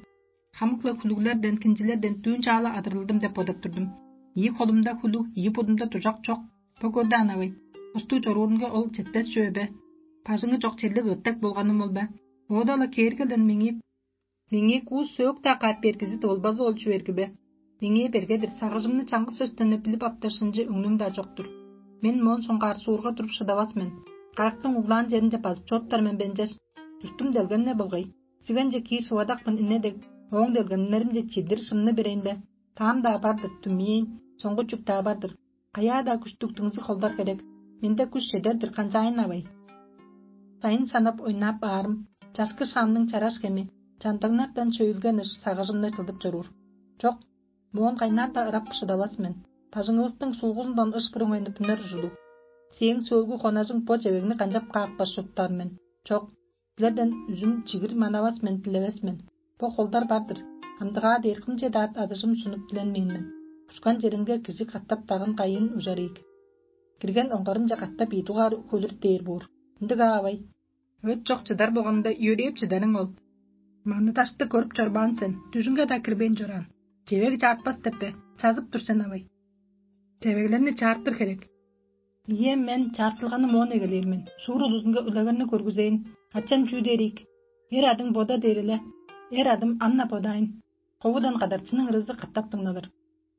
Хамык-ла хүлүглерден, кинчилерден дүүн чаала адырылдым деп бодап турдум. Ийи холумда хүлүг, ийи будумда дужак чок. Бо көрдө анавай, устуу чоруурунга ол четпес чүве бе? Бажыңы чок черлиг ыттак болганым ол бе? Оода-ла кээргелден меңээ меңээ куу сөөк-даа каап бергизи тывылбазы ол чүве эрги бе? Меңээ бергедир сагыжымны чаңгыс сөстен билип аптар шынчы өңнүм-даа чок-тур. Мен моон соңгаар суурга туруп шыдавас мен. Карактың углаан черинче базып чоруптар мен бе ынчаш? Дүртүм делгем-не болгай. Сигенче киир шывадакпын ине дег, ооң делгемнеримче чидир шымны берейн бе? Таам-даа бар-дыр, түмэээн, соңгу чүк-даа бар-дыр. Каяа-даа күштүг дыңзыг холдар херек. Менде күш чедер-дир канчаайн авай. Сайын санап ойнап аарым, чашкы шаамның чараш хеми, чандыңнартан чөйүлген ыш сагыжымны чылдып чоруур. Чок, моон кайнаар-даа ырап шыдавас мен. Бажыңывыстың сулгузундан ыш буруңайны бүнер ужурлуг. Сээң сөөлгү хонажың бо чевегни канчап каапкаш чуруптаар мен? Чок, силерден үзүм чигир манавас мен, дилевес мен. Бо холдар бар-дыр. Андыгаа дээр кымче-даа адыжым сунуп дилен мен мен. Ушкан черинге кижи катап дагын кайын ужар ийик. Кирген оңгарынче катап ийи дугаар хөлүр дээр боор. Ындыг аавай. Өт чок чыдар болганда, йөрээп чыдарың ол. Маны дашты көрүп чорбаан сен, дүжүңге-даа кирбейн чораан. Чевег чаартпас деп бе? Чазып тур сен авай. Чевеглерни чаартыр херек. Ийе, мен чаартылганы моон эгелээр мен. Шуур улузунга үлегерни көргүзээн. Ачам чүү дээрик? Эр адың бода дээр эле. Эр адым ам-на бодаайн. Ховудан кадарчының ырызы катап дыңналыр.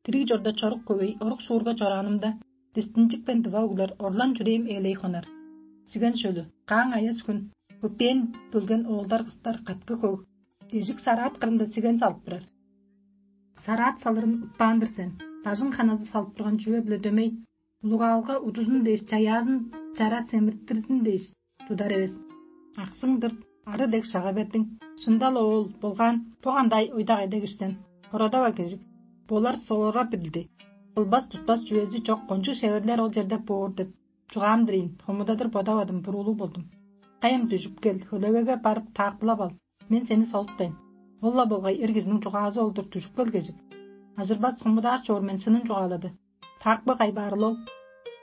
Дириг чорда чорук көвей орук суурга чораанымда, дистинчикпен дыва углар орлан чүрээм ээлей хонар. Сиген шөлү, кааң аяс хүн, көпээн бөлген оолдар кыстар каткы хөг, эжик сараат кырында сиген салып турар. Сараат салырын утпаан-дыр сен, бажың ханазы салып турган чүве-биле дөмей, улугаалга удузун дээш чаяазын чара семиртирзин дээш тудар эвес. Аксың-дыр, ары дег шага бердиң. Шындал оол, болгаан, бо кандай ойдак эдегишсен? Хорадава кежик. Болар соора билди. Кылбас тутпас чүвези чок кончуг шеверлер ол черде боор деп чугаам-дыр ийин, хомудадыр бодавадым, буруулуг болдум. Кайым дүжүп кел, хөлегеге барып таакпылап ал. Мен сени солуптайн. Ол-ла болгай эр кижиниң чугаазы ол-дур, дүжүп кел кежик. Ажырбас хомудаар чоор мен шынын чугаалады. Таакпы кайбаарыл ол.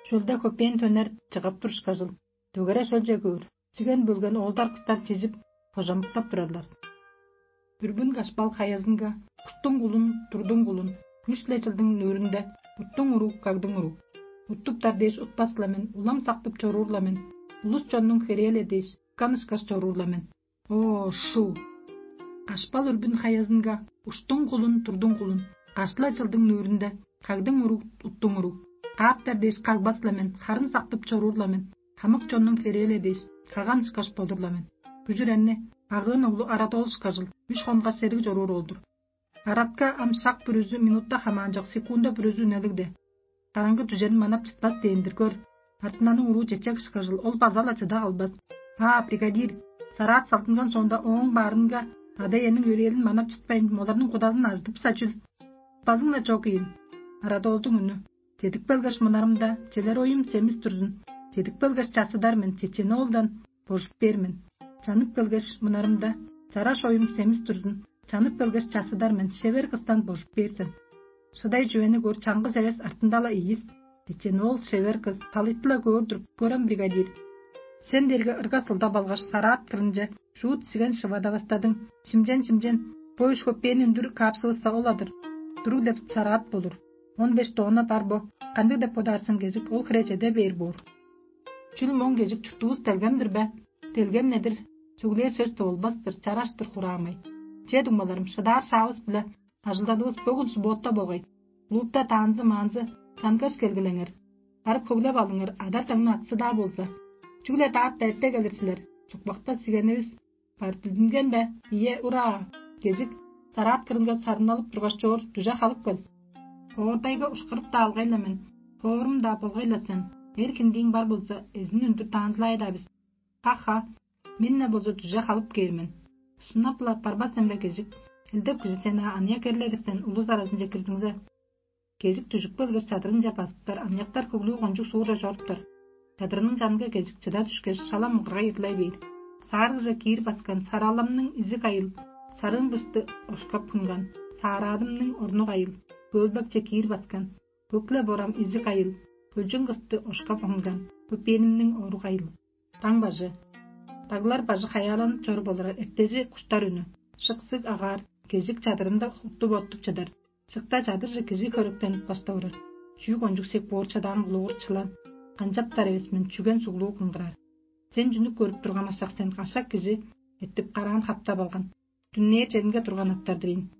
Шөлде хөпээн төнер чыгап тур ышкажыл. Дөгере шөлче көөр. Сиген бөлген оолдар кыстар чижип, кожамыктап турарлар. Бүрбүн кашпал хаязынга, уштуң кулун, турдуң кулун, күш-ле чылдың нүүрүнде, уттуң уруг, кагдың уруг. Уттуптар дээш утпас-ла мен, улам сактып чоруур-ла мен. Улус чоннуң херээ-ле дээш, канышкаш чоруур-ла мен. О, шу! Кашпал үрбүн хаязынга, уштуң кулун, турдуң кулун, кашла чылдың нүүрүнде, кагдың уруг, уттуң уруг. Кааптар дээш кагбас-ла мен, харын сактып чоруур-ла мен. Хамык чоннуң херээ-ле дээш, каган ышкаш болур-ла мен. Бүзүренни, агыын оглу Арадоол ышкажыл, үш хонгаш сериг чоруур ол-дур. Аратка ам шак бүрүзү минутта хамаанчок, секунда бүрүзү үнелигде. Караңгы дүжерин манап чытпас дээн-дир көр. Артынанның уруу чечек ышкажыл, ол база-ла чыда калбас. Аа, бригадир, сараат салтынган соонда ооң баарынга ада-иениң өрээлин манап чытпайн, оларның кудазын ажыдыпса чүл? Базың-на чок ийин. Арадоолдуң үнү. Чедип келгеш мынарымда, челер оюм семис турзун. Чедип келгеш часыдар мен, чечени оолдан божуп бээр мен. Чанып келгеш мынарымда, чараш оюм семис турзун. Чанып келгеш часыдар мен, шевер кыстан божуп бээр сен. Шыдай чүвени көр, чаңгыс эвес артында-ла ийис. Чечени ол шевер кыс талыйты-ла көөр-дүр, көрем, бригадир. Сен дерге ырга сылдап алгаш, сараат кырынче шуут сиген шывадавастадың. Шимчен-шимчен, бо үш хөппээн үндүр каапсывысса ол-адыр. Туруг деп сараат болур. Он беш тонна бар бо. Кандыг деп бодаар сен, кежик ол хире чеде бээр боор. Чүл моң кежик чуртувус делгем-дир бе? Делгем-не-дир? Чүглээ сөс-даа болбас-тыр, чараш-тыр хураамай. Че, дуңмаларым, шыдаар шаавыс-биле ажылдадывыс бөгүн суббота болгай. Клубта таанзы-маанзы, чангаш келгилеңер. Барып хөглеп алыңар, адар-даңны атсы-даа болза. Чүгле даатта эрте келир силер. Сукпакта сигенивис бар билдинген бе? Ийе, ура! Кежик, сараат кырынга сарынналып тургаш чоор, дүже халып кел. Оордайга ушкарып-даа алгай-ла мен, хоорум-даа болгай-ла сен. Эр киндииң бар болза, эзин үндүр таанзылай-даа бис. Ха-ха, мен-не болза дүже халып кээр мен. Шынап-ла барбас эмбе, кежик? Элдеп кижи сен-аа аныяк эрлеривистен улус аразынче кирзиңзе. Кежик дүжүп келгеш, чадырынче базыптар, аныяктар хөглүү кончуг суурже чоруптар. Чадырының чанынга кежик чыда дүшкеш, шала муңгаргай ырлай бээр. Саарыгже киир баскан сараламның изи кайыл, Сарыын бысты ошкап хунган, саараадымның орну кайыл, көөлбекче киир баскан, көк-ле борам изиг кайыл, хөлчүң кысты ошкап хунган, көпээнимниң ору кайыл. Таң бажы. Даглар бажы хаяаланып чоруп олурар эртежи куштар үнү. Шыксыг агаар, кежик чадырында уттуп оттуп чыдар. Шыкта чадырже кижи хөректенип каштап орар. Чүү кончуг сек боор чадаан кулуугур чылан. Канчаптар эвес мен чүген суглуу кыңгыраар. Сен чүнү көрүп турган ашак сен ашак кижи эттип караан хаптап алган. Дүннээр черинге турган аттар-дыр ийин.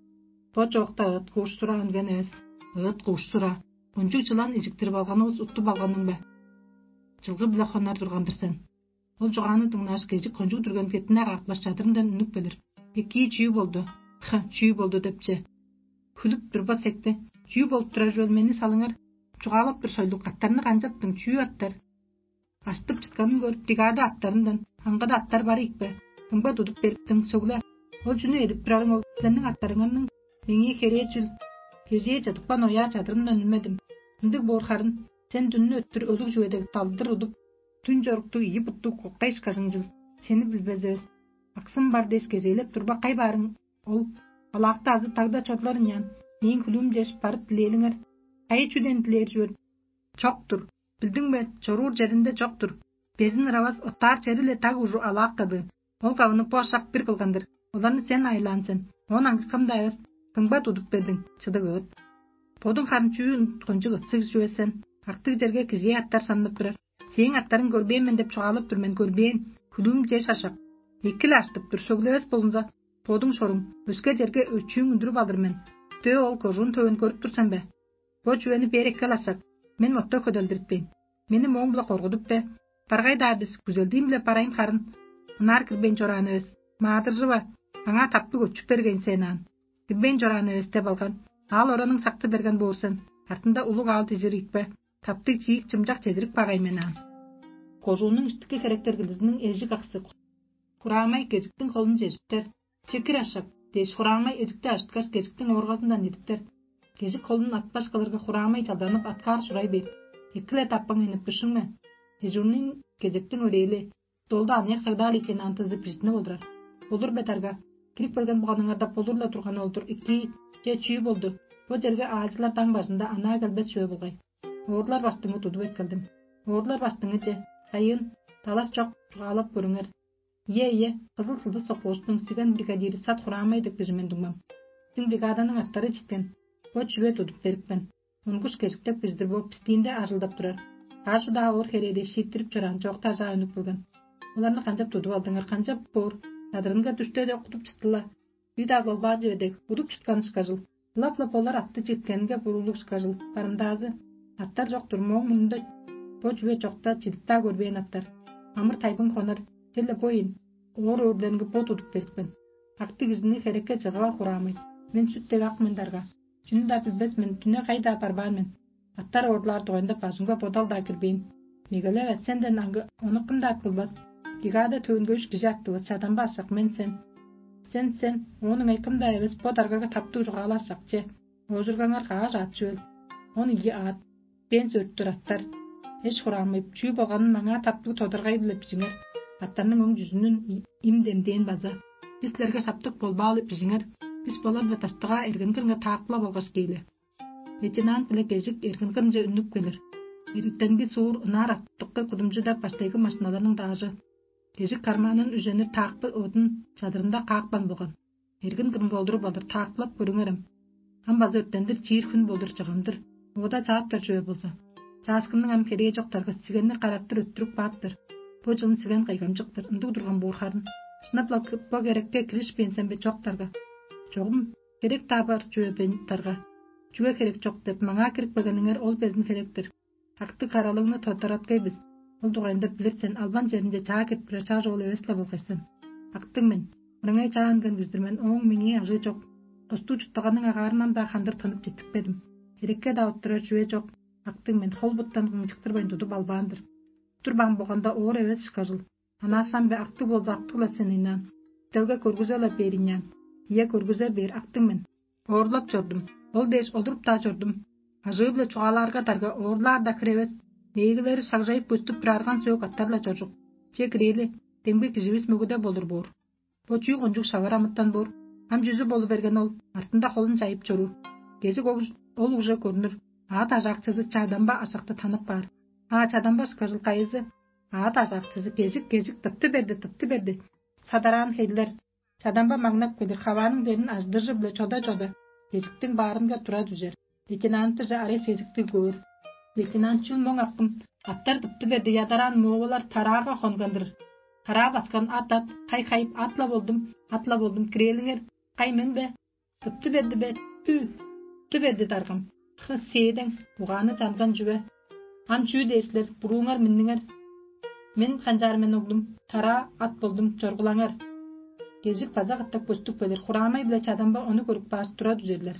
Бо чоокта ыт куушсура үнген эвес. Ыт куушсура. Кончуг чылан ижиктирип алганывыс уттуп алганың бе? Чылгы-биле хонар турган-дыр сен. Ол чугааны дыңнааш, кежик кончуг дүрген кеттине каапкаш чадырындан үнүп келир. Экии чүү болду? Ха, чүү болду депче. Хүлүп турба секте. Чүү болуп турар чүвел мени салыңар? Чугаалап тур сойлук аттарны канчаптың? Чүү аттар? Аштып чытканын көрүп, дигады аттарындан аңгыда аттар бар ийикпе? Кымга тудуп бериптиң, сөгле. Ол чүнү эдип турарың ол силерниң аттарыңарның меңээ херээ чүл? Кежээ чыдыпкан ояа чадырымдан үнмедим. Ындыг боор харын, сен дүннү өттүр өлүг чүве дег далдыр удуп, түн чоруктуг ийи буттуг коктай ышкажың чүл? Сени билбезивес. Аксым бар дээш кезээлеп турба кай баарың ол? Алаакта азы тагда чорлар ынчаан, мээң хүлүүм дээш барып дилээлиңер. Кайы чүден дилээр чүвел? Чок-тур. Билдиң бе, чоруур черинде чок-тур. Безин ыравас оттаар чери-ле даг ужу алаак кады. Ол кавыны бо ашак бир кылган-дыр. Оларны сен айылаан сен. Оон аңгыкам-даа эвес. Кымга тудуп бердиң, чыдык ыыт. Бодуң харын чүү кончуг ытсыг чүве сен? Актыг черге кижээ аттар шамнып турар. Сээң аттарың көрбээн мен деп чугаалап тур мен, көрбээн. Хүлүүм чеш ашак. Эки-ле аштып тур, сөглевес болза, бодуң шоруң. Өске черге өчүүң үндүрүп алыр мен. Дөө ол кожуун төвен көрүп тур сен бе? Бо чүвени бээр эккел ашак. Мен мотта хөделдириппейн. Мени мооң-биле коргудуп бе? Баргай-даа бис күзелдиим-биле барайын харын. Ынаар кирбейн чораан эвес. Маадыржыва, аңаа таптыг өчүп берген сен аан. Кирбейн чораан эвес деп алган. Аал ораның сакты берген боор сен. Артында улуг аал дижир ийикпе? Таптыг чиик чымчак чедирип багай мен аан. Кожуунуң иштики херектер кылдызының эжик аксы. Хураамай кежиктиң холун чежиптер. Чекир ашак дээш, хураамай эжикти ажыткаш, кежиктиң ооргазындан идиптер. Кежик холун атпаш кылырга, хураамай чалданып, аткаар шурай бээр. Эки-ле таппаң энип бышыңме? Дежурный кезектиң өрээли долду аныяк сагдаал экени антызы бижитинип олурар. Болур бе дарга? Кирип келген буганыңарда болур-ла турган ол-дур. Икии, че чүү болду? Бо черге аалчылар даң бажында анаа келбес чүве болгай. Оорлар баштыңы тудуп эккелдим. Оорлар баштыңы че, кайыын, далаш чок, чугаалап көрүңер. Ийе, ийе, кызыл сылдыс соккуустуң сиген бригадири сат хураамай деп кижи мен дуңмам. Сиң бригаданың аттары читкен. Бо чүве тудуп берипкен. Мунгуш кежиктеп кижидир бооп бистиинде ажылдап турар. Каш удаа оор херээде шииттирип чораан чоокта ажаа үнүп келген. Оларны канчап тудуп алдыңар, канчап боор? Надырынга дүште-де кудуп чыттыла. Үй-даа болбаан чүве дег, удуп чыткан ышкажыл. Ылап-ла болар атты читкенинге буруулуг ышкажыл. Барымдаазы аттар чок-тур, мооң мурнунда бо чүве чокта чидип-даа көрбээн аттар. Амыр-тайбың хонар, черле бо ийин. Оор-өөрлеринге бо тудуп берипкен. Акты кижини херекке чыгыва хураамай. Мен сүт дег ак мен дарга. Чүнү-даа билбес мен, дүне кайда барбаан мен. Аттар оорлаар дугайында бажымга бодал-даа кирбээн. Мегелеве, сенден аңгы ону кым-даа кылбас. Бригада төвүнге үш кижи аттывыс, чадамба ашак мен сен. Сен, сен, оон ыңай кым-даа эвес, бо даргага таптыг чугаалаар шак че. Оожургаңар кааш аът чүвел. Он ийи аът, бен сөрттүр аттар. Эш хураамыйып, чүү болганын маңаа таптыг тодаргай-биле бижиңер. Аттарның өң чүзүнүн им демдээн база. Бис силерге шаптык болбаалы бижиңер. Бис болар-биле даштыгаа эргенгиринге таакпыла болгаш кээле. Лейтенант биле кежик эргин кырынче үннүп келир. Эргиттенги суур ынаар артыккы кудумчу деп баштайгы машиналарның даажы. Кежик кармаанын үженир таакпы одун чадырында каапкан болган. Эргин кырынга олдуруп алыр, таакпылап көрүңерем. Ам база өрттендир чиир хүн болур чыгамдыр. Оода чааптар чүве болза. Чаашкынның ам херээ чок даргыс сигенни караптыр өттүрүп кааптыр. Бо чылын сиген кайгамчыктыр, ындыг турган боор харын. Шынап-ла бо керекке киришпээн сен бе чок дарга? Чогум херек-даа бар чүве бе дарга? Чүге херек чок деп маңаа кирип келгениңер ол безин херектир. Актыг каралыгны тодараткай бис. Ол дугайында билир сен, албан черинче чаа кирип турар чаш оол эвес-ле болгай сен. Актыг мен. Мырыңай чаа үнген кижи-дир мен, ооң меңээ ажыы чок. Костуу чуттаганның агаарындан-даа хандыр тынып четтикпедим. Херекке-даа оттурар чүве чок. Актыг мен, хол-буттан кыңчыктырбайн тудуп албаан-дыр. Тур баан болганда оор эвес ышкажыл. Анаашаан бе, актыг болза, актыг-ла сен ыйнаан. Делге көргүзе-ла бээр ыйнаан. Ийе, көргүзе бээр, актыг мен. Оорлап чордум. Ол дээш олуруп-даа чордум. Ажыы-биле чугаалаарга дарга оорлаар-даа хире эвес. Мээглери шагжайып көстүп турарган сөөк аттар-ла чоржук. Че кирээли, демги киживис мөгүде болур боор. Бо чүү кончуг шавар амытан боор? Ам чүзү болу берген ол, артында холун чайып чоруур. Кезик ол уже көрүнүр. Аът ажаакчызы чадамба ашакты танып баар. А чадамба ышкажыл кайызы? Аът ажаакчызы кежик-кежик тыпты берди, тыпты берди. Садараан хейлер. Чадамба маңнап келир, хавааның дерин ажыдыржы-биле чода-чода, кежиктиң баарынга тура дүжер. Лейтенантыже арай кежиктиг көөр. Лейтенант чүл моң аккым, аттар тыпты берди, ядараан муовалар тараага хонгандыр. Тараа баскан ат-ат, кай-кайып, атла болдум, атла болдум, кирээлиңер, кай мен бе? Тыпты берди бе? Ү, тыпты берди даргам. Хы, сээдең, угааны чанган чүве. Ам чүү дээр силер, бурууңар минниңер. Мен канчаар мен оглум, тараа ат болдум, чоргулаңар. Кежик база катап көстүп келир, хураамай-биле чадамба ону көрүп каар тура дүжерлер.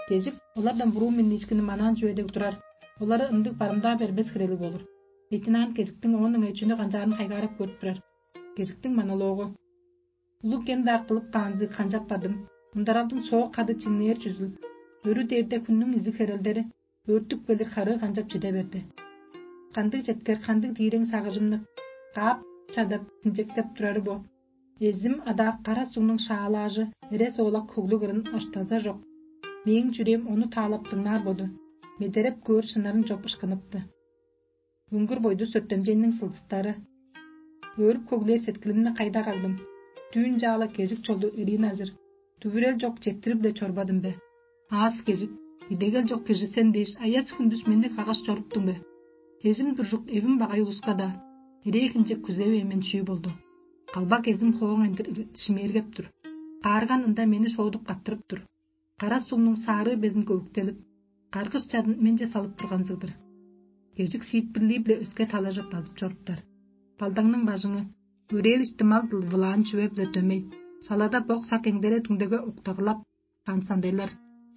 Кежик олардан буруу минниишкини манаан чүве дег турар, олары ындыг барымдаа бербес хирели болур. Лейтенант кежиктиң оон ыңай чүнү канчаарын хайгаарап көрүп турар. Кежиктиң монологу. Улуг кем-даа кылып каанзы канчап бадым, ындаралдың соок кады чиңнээр чүзүл, өрү дээрде хүннүң изиг херелдери өөртүп келир харыы канчап чиде берди. Кандыг четкер, кандыг диирең сагыжымны каап чадап, инчектеп турары бо. Эзим адаак кара сугнуң шаалаажы эре соолак хөглүг ырын оштаза чок. Мээң чүрээм ону таалап дыңнаар боду. Медереп көөр шынарын чоп ышкыныпты. Үңгүр бойдус өртемчейниң сылдыстары. Өөрүп көглээр сеткилимни кайда кагдым? Дүүн чаала кежик чолду эриин ажыр. Дүвүрел чок четтирип-ле чорбадым бе? Аас кежик, идегел чок кижи сен дээш, аяс хүндүс мени каггаш чоруптуң бе? Эжим дуржук эвим багай улуска-даа, ирээ хинчек күзевээн мен чүү болду? Калбак эзим хооң ындыр шимээргеп тур. Каарган ында мени шоодуп каттырып тур. Кара сугнуң саарыы безин көвүктелип, каргыш чадын менче салып турганзыг-дыр. Кежик сиитпирлии-биле өске талажап базып чоруптар. Балдаңның бажыңы, өрээлишти мал-дыл вылаан чүве-биле дөмей, салада бок сак эңдере дүңдеге уктагылап, каансандайлар.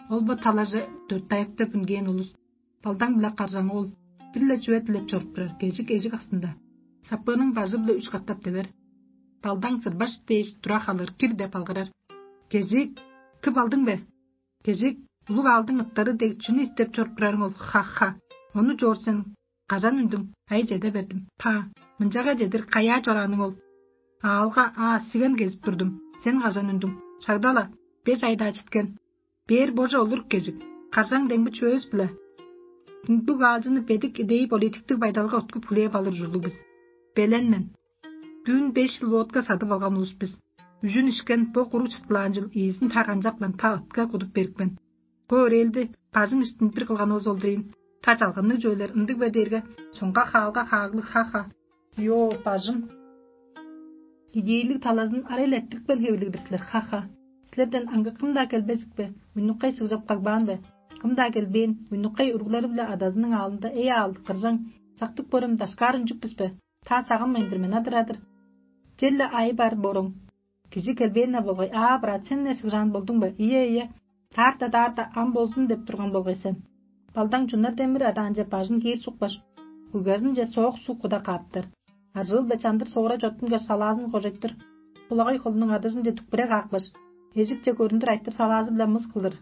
Ол бо талаже дөрт аяктап үнгээн улус. Балдаң-биле каржаңы ол, бир-ле чүве дилеп чоруп турар, кежик эжик аксында. Сапыының бажы-биле үш катап девер. Балдаң сырбаш дээш тура халыр, кир деп алгырар. Кежик, тып алдың бе? Кежик, улуг аалдың ыттары дег чүнү истеп чоруп турарың ол? Ха-ха. Ону чоор сен. Кажан үндүң? Ай чеде бердим. Па, мынчага чедир каяа чорааның ол? Аалга аа сиген кезип турдум. Сен кажан үндүң? Шагдала, беш айдаа читкен. Бээр боже олур кежик. Каржаң деңби чүвевис-биле. Дундуг аалчыны бедик идей политиктиг байдалга уткуп хүлээп алыр ужурлуг бис. Белен мен. Дүүн беш чыл водка садып алган улус бис. Үжүн ишкен бо куруг чыттылаан чыл ийизин та канчапкан, та ытка кудуп берипкен. Бо өрээлди бажың иштин бир кылганывыс ол дирейн. Та чалганныг чүвелер ындыг бе дээрге, чонга хаалга хааглыг ха-ха. Йо, бажым. Идейлиг талазын арай элеттирипкен хевирлиг-дир силер ха-ха. Силерден аңгы кым-даа келбезик бе? Уйнуккай сыгжап кагбаан бе? Кым-даа келбээн, уйнуккай уруглары-биле адазының аалында эй аалдык кыржаң, сактып көрем дашкаар үнчүк бис бе? Та сагынмайн-дыр мен адыр-адыр. Черле айы бар бороң. Кижи келбээн-не болгай, аа, брат, сен-не шыгжаан болдуң бе? Ийе, ийе. Таарта-таарта ам болзун деп турган болгай сен. Балдаң чуннар демир адаанче бажын киир сукпаш, уйгазынче соок суг куда кааптар. Аржыыл-биле чандыр соора чоттунгаш салаазын кожайтыр. Булагай холунуң адыжынче дүкпүре каапкаш, эжикче көрүндүр айтыр салаазы-биле мыс кылыр.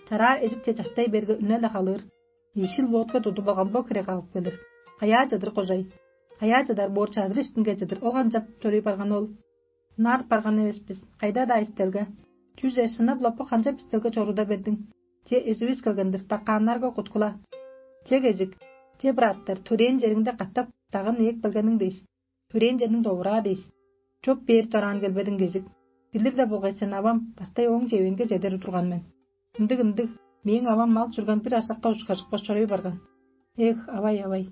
Чараа эжикче чаштай берге үне-ле халыыр. Ийшил водка тудуп алган бо хире калып келир. Каяа чыдыр кожай? Каяа чыдар боор чадыр иштинге чыдыр ол канчап төрүй барган ол? Ынаар барган эвес бис, кайда-даа истелге. Чүже шынап-ла бо канчап истелге чоруда бердиң? Че эзивис келгендир стаканнарга куткула. Че кежик, че быраттар, төрээн чериңде катап дагын ээк белгениң дээш, төрээн черниң довураа дээш. Чоп бээр чораан келбедиң кежик. Билир-ле болгай сен авам, бастай ооң чевеңге чедер турган мен. Ындыг-ындыг, мээң авам мал чурган бир ашакка ушкажыкпас чоруй барган. Эх, авай-авай.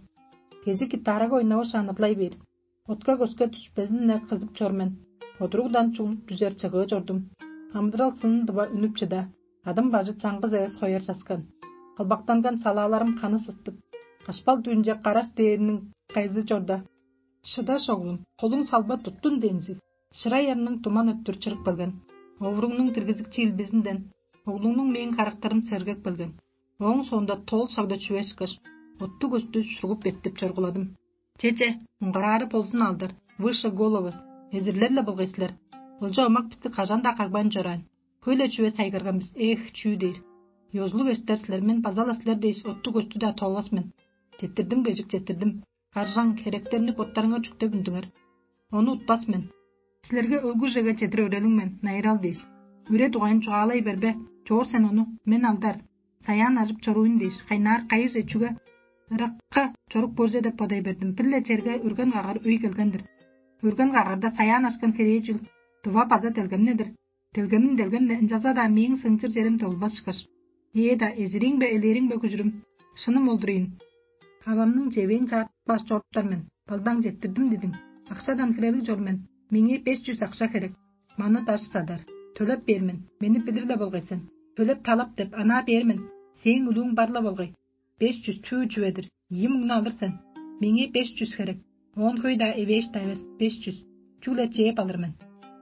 Кежик итаарага ойнавышаан ырлай бээр. Отка көске дүшпезин-не кызып чор мен. Одуругдан чуглуп дүжер чыгыы чордум. Амыдырал сынын дыва үнүп чыда. Адым бажы чаңгыс эвес хояр часкан. Кылбактанган салааларым ханы сыстып, кашпал дүүнче караш дээриниң кайзы чорда. Шыдаш оглум, холуң салба туттун дензиг. Шырай арның туман өттүр чырып келген. Овуруңнуң диргизикчи илбизинден оглуңнуң мээң карактарым сергек келген. Ооң соонда тоол шагда чүве ышкаш, оттуг өстү шуругуп эртип чоргуладым. Чеже, муңгараары болзун алдар, выше головы, эзирлер-ле болгай силер. Олча омак бисти кажан-даа кагбайн чораан. Хөй-ле чүве сайгарган бис, эх, чүү дээр. Ёзулуг эштер силер, мен база-ла силер дээш оттуг өстү-даа тоовас мен. Четтирдим кежик, четтирдим. Каржаң, херектерни боттарыңар чүктеп үндүңер. Ону утпас мен. Силерге өлгүжеге чедир өрелиң мен, найырал дээш. Үре дугайын чугаалай бербе, чоор сен ону, мен алдар. Саяан ажып чоруйн дээш, кайнаар кайыже чүге ыракка чорук көрзе деп бодай бердим. Бир-ле черге үрген кагар өй келген-дир. Үрген кагарда саяан ашкан херээжил дува база делгемнедир. Делгемин делгемне ынчалза-даа мээң сыңчыр черим долбас ышкаш. Ээ-да, эзириң бе, элээриң бе, күжүрүм, шыным олдур ийин. Авамның чевээн чаартпаш чоруптар мен, балдаң четтирдим дидиң. Акшадан хирелиг чор мен. Меңээ беш чүс акша херек. Маны даш садар. Төлеп бээр мен. Мени билир-ле болгай сен. Төлеп талап деп анаа бээр мен. Сээң үлүүң бар-ла болгай. Беш чүс чүү чүве-дир? Ийи муңну алыр сен. Меңээ беш чүс херек. Оон хөй-даа эвээш-даа эвес. Беш чүс. Чүгле чээп алыр мен.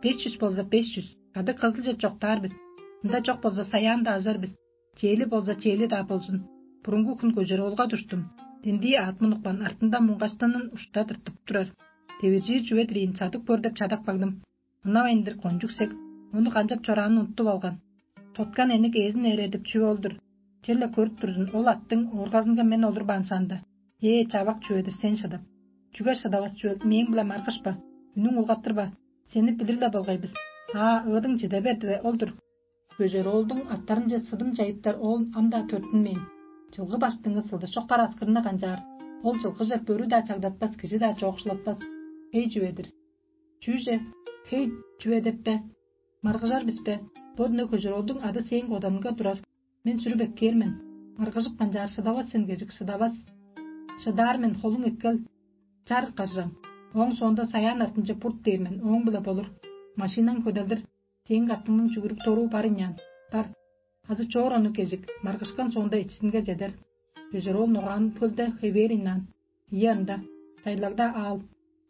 Беш чүс болза беш чүс. Кады кызылче чоктаар бис. Ында чок болза саяанда ажар бис. Чээли болза чээли-даа болзун. Бурунгу хүн көжер олга туштум. Дендии аът мунукпан артында муңгаштанын ушта тыртып турар. Девиржир чүве-дир ийин, садып көр деп чадап кагдым. Ынавайн-дыр кончуг сек. Ону канчап чораанын уттуп алган. Тоткан эник эзин эредип чүве ол-дур. Черле көрүп турзун, ол аттың ооргазынга мен олурбаан саанда. Ээ, чавак чүве-дир сен шыдап. Чүге шыдавас чүве мээң-биле маргышпа, үнүң улгаттырба. Сени билир-ле болгай бис. Аа, ыыдың чиде берди бе, ол-дур. Бөжер оолдуң аттарынче сыдым чайыптар оол ам-даа төрүттүнмээн. Чылгы баштыңы сылдыс чоккар аскырына канчаар, ол чылгыже бөрү-даа чагдатпас, кижи-даа чоокшулатпас. Хей чүве-дир. Чүүже хей чүве деп бе? Маргыжар бис бе? Бо дүне көжер оолдуң ады сээң коданынга турар. Мен сүрүп эккээр мен. Маргыжып канчаар шыдавас сен кежик, шыдавас. Шыдаар мен, холуң эккел. Чар, каржам. Ооң соонда саяан артынче бурт дээр мен, ооң-биле болур. Машинаң хөделдир. Сээң каттыңның чүгүрүк торуу бар ыняан. Бар. Азы чоор ону кежик, маргышкан соонда эчизинге чедер. Бежер ол ногаан хөлде хевээр ынаан. Ийи ында, чайлагда аал.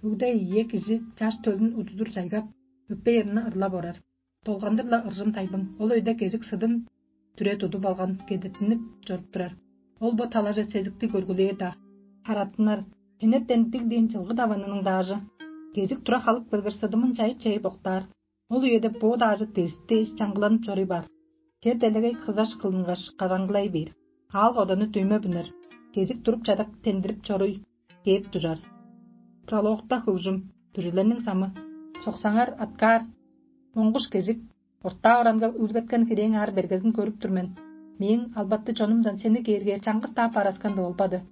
Бүгде ийе кижи чаш төлүн удудур чайгап, өппей ырны ырлап орар. Долгандыр-ла ыржым тайбың, ол өйде кежик сыдын дүре тудуп алган кедеттинип чоруп турар. Ол бо талаже сезикти көргүлээр-даа. Хараттынар, хенертен диг дээн чылгы даванының даажы. Кежик тура халып келгеш, сыдымын чайып-чайып октаар. Ол үеде бо даажы дээш-дээш чаңгыланып чоруй баар. Чер делегей кызаш кылынгаш, кадаңгылай бээр. Аал-кодану дөйме бүнер. Кежик туруп чадап тендирип чоруй кээп дужар. Прологта хөгжүм, дүрүлерниң самы. Соксаңар, аткаар, моңгуш кежик, ортаа оранга үүлгеткен хирээң аар бергезин көрүп тур мен. Мээң албатты чонумдан сени кээргээр чаңгыс-даа бараскан болбады.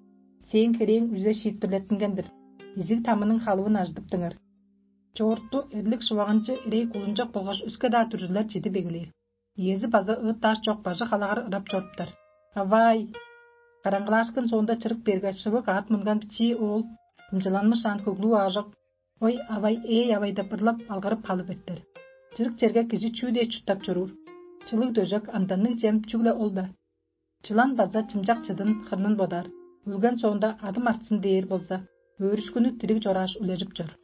Сээң хирээң үзе шиитпирлеттинген-дир. Изиг тамының халывын ажыдыптыңар. Чоорту эрлик шываганчы ирей кулунчак болгаш өске-даа дүрзүлер чидип эгелээр. Иези база ыыт-даш чок бажы халагар ырап чоруптар. Авай! Караңгылаашкын соонда чырык берге шывык аът мынган бичии оол, ымчыланмышаан хөглүү аажок: «Ой, авай, эй, авай» деп ырлап, алгырып халып эртер. Чырык черге кижи чүү дээш чурттап чоруур? Чылыг дөжек, амданныг чем чүгле ол бе? Чылан база чымчак чыдын хырнын бодар, өлген соонда адым артсын дээр болза, өөрүшкүнү дириг чорааш үлежип чор.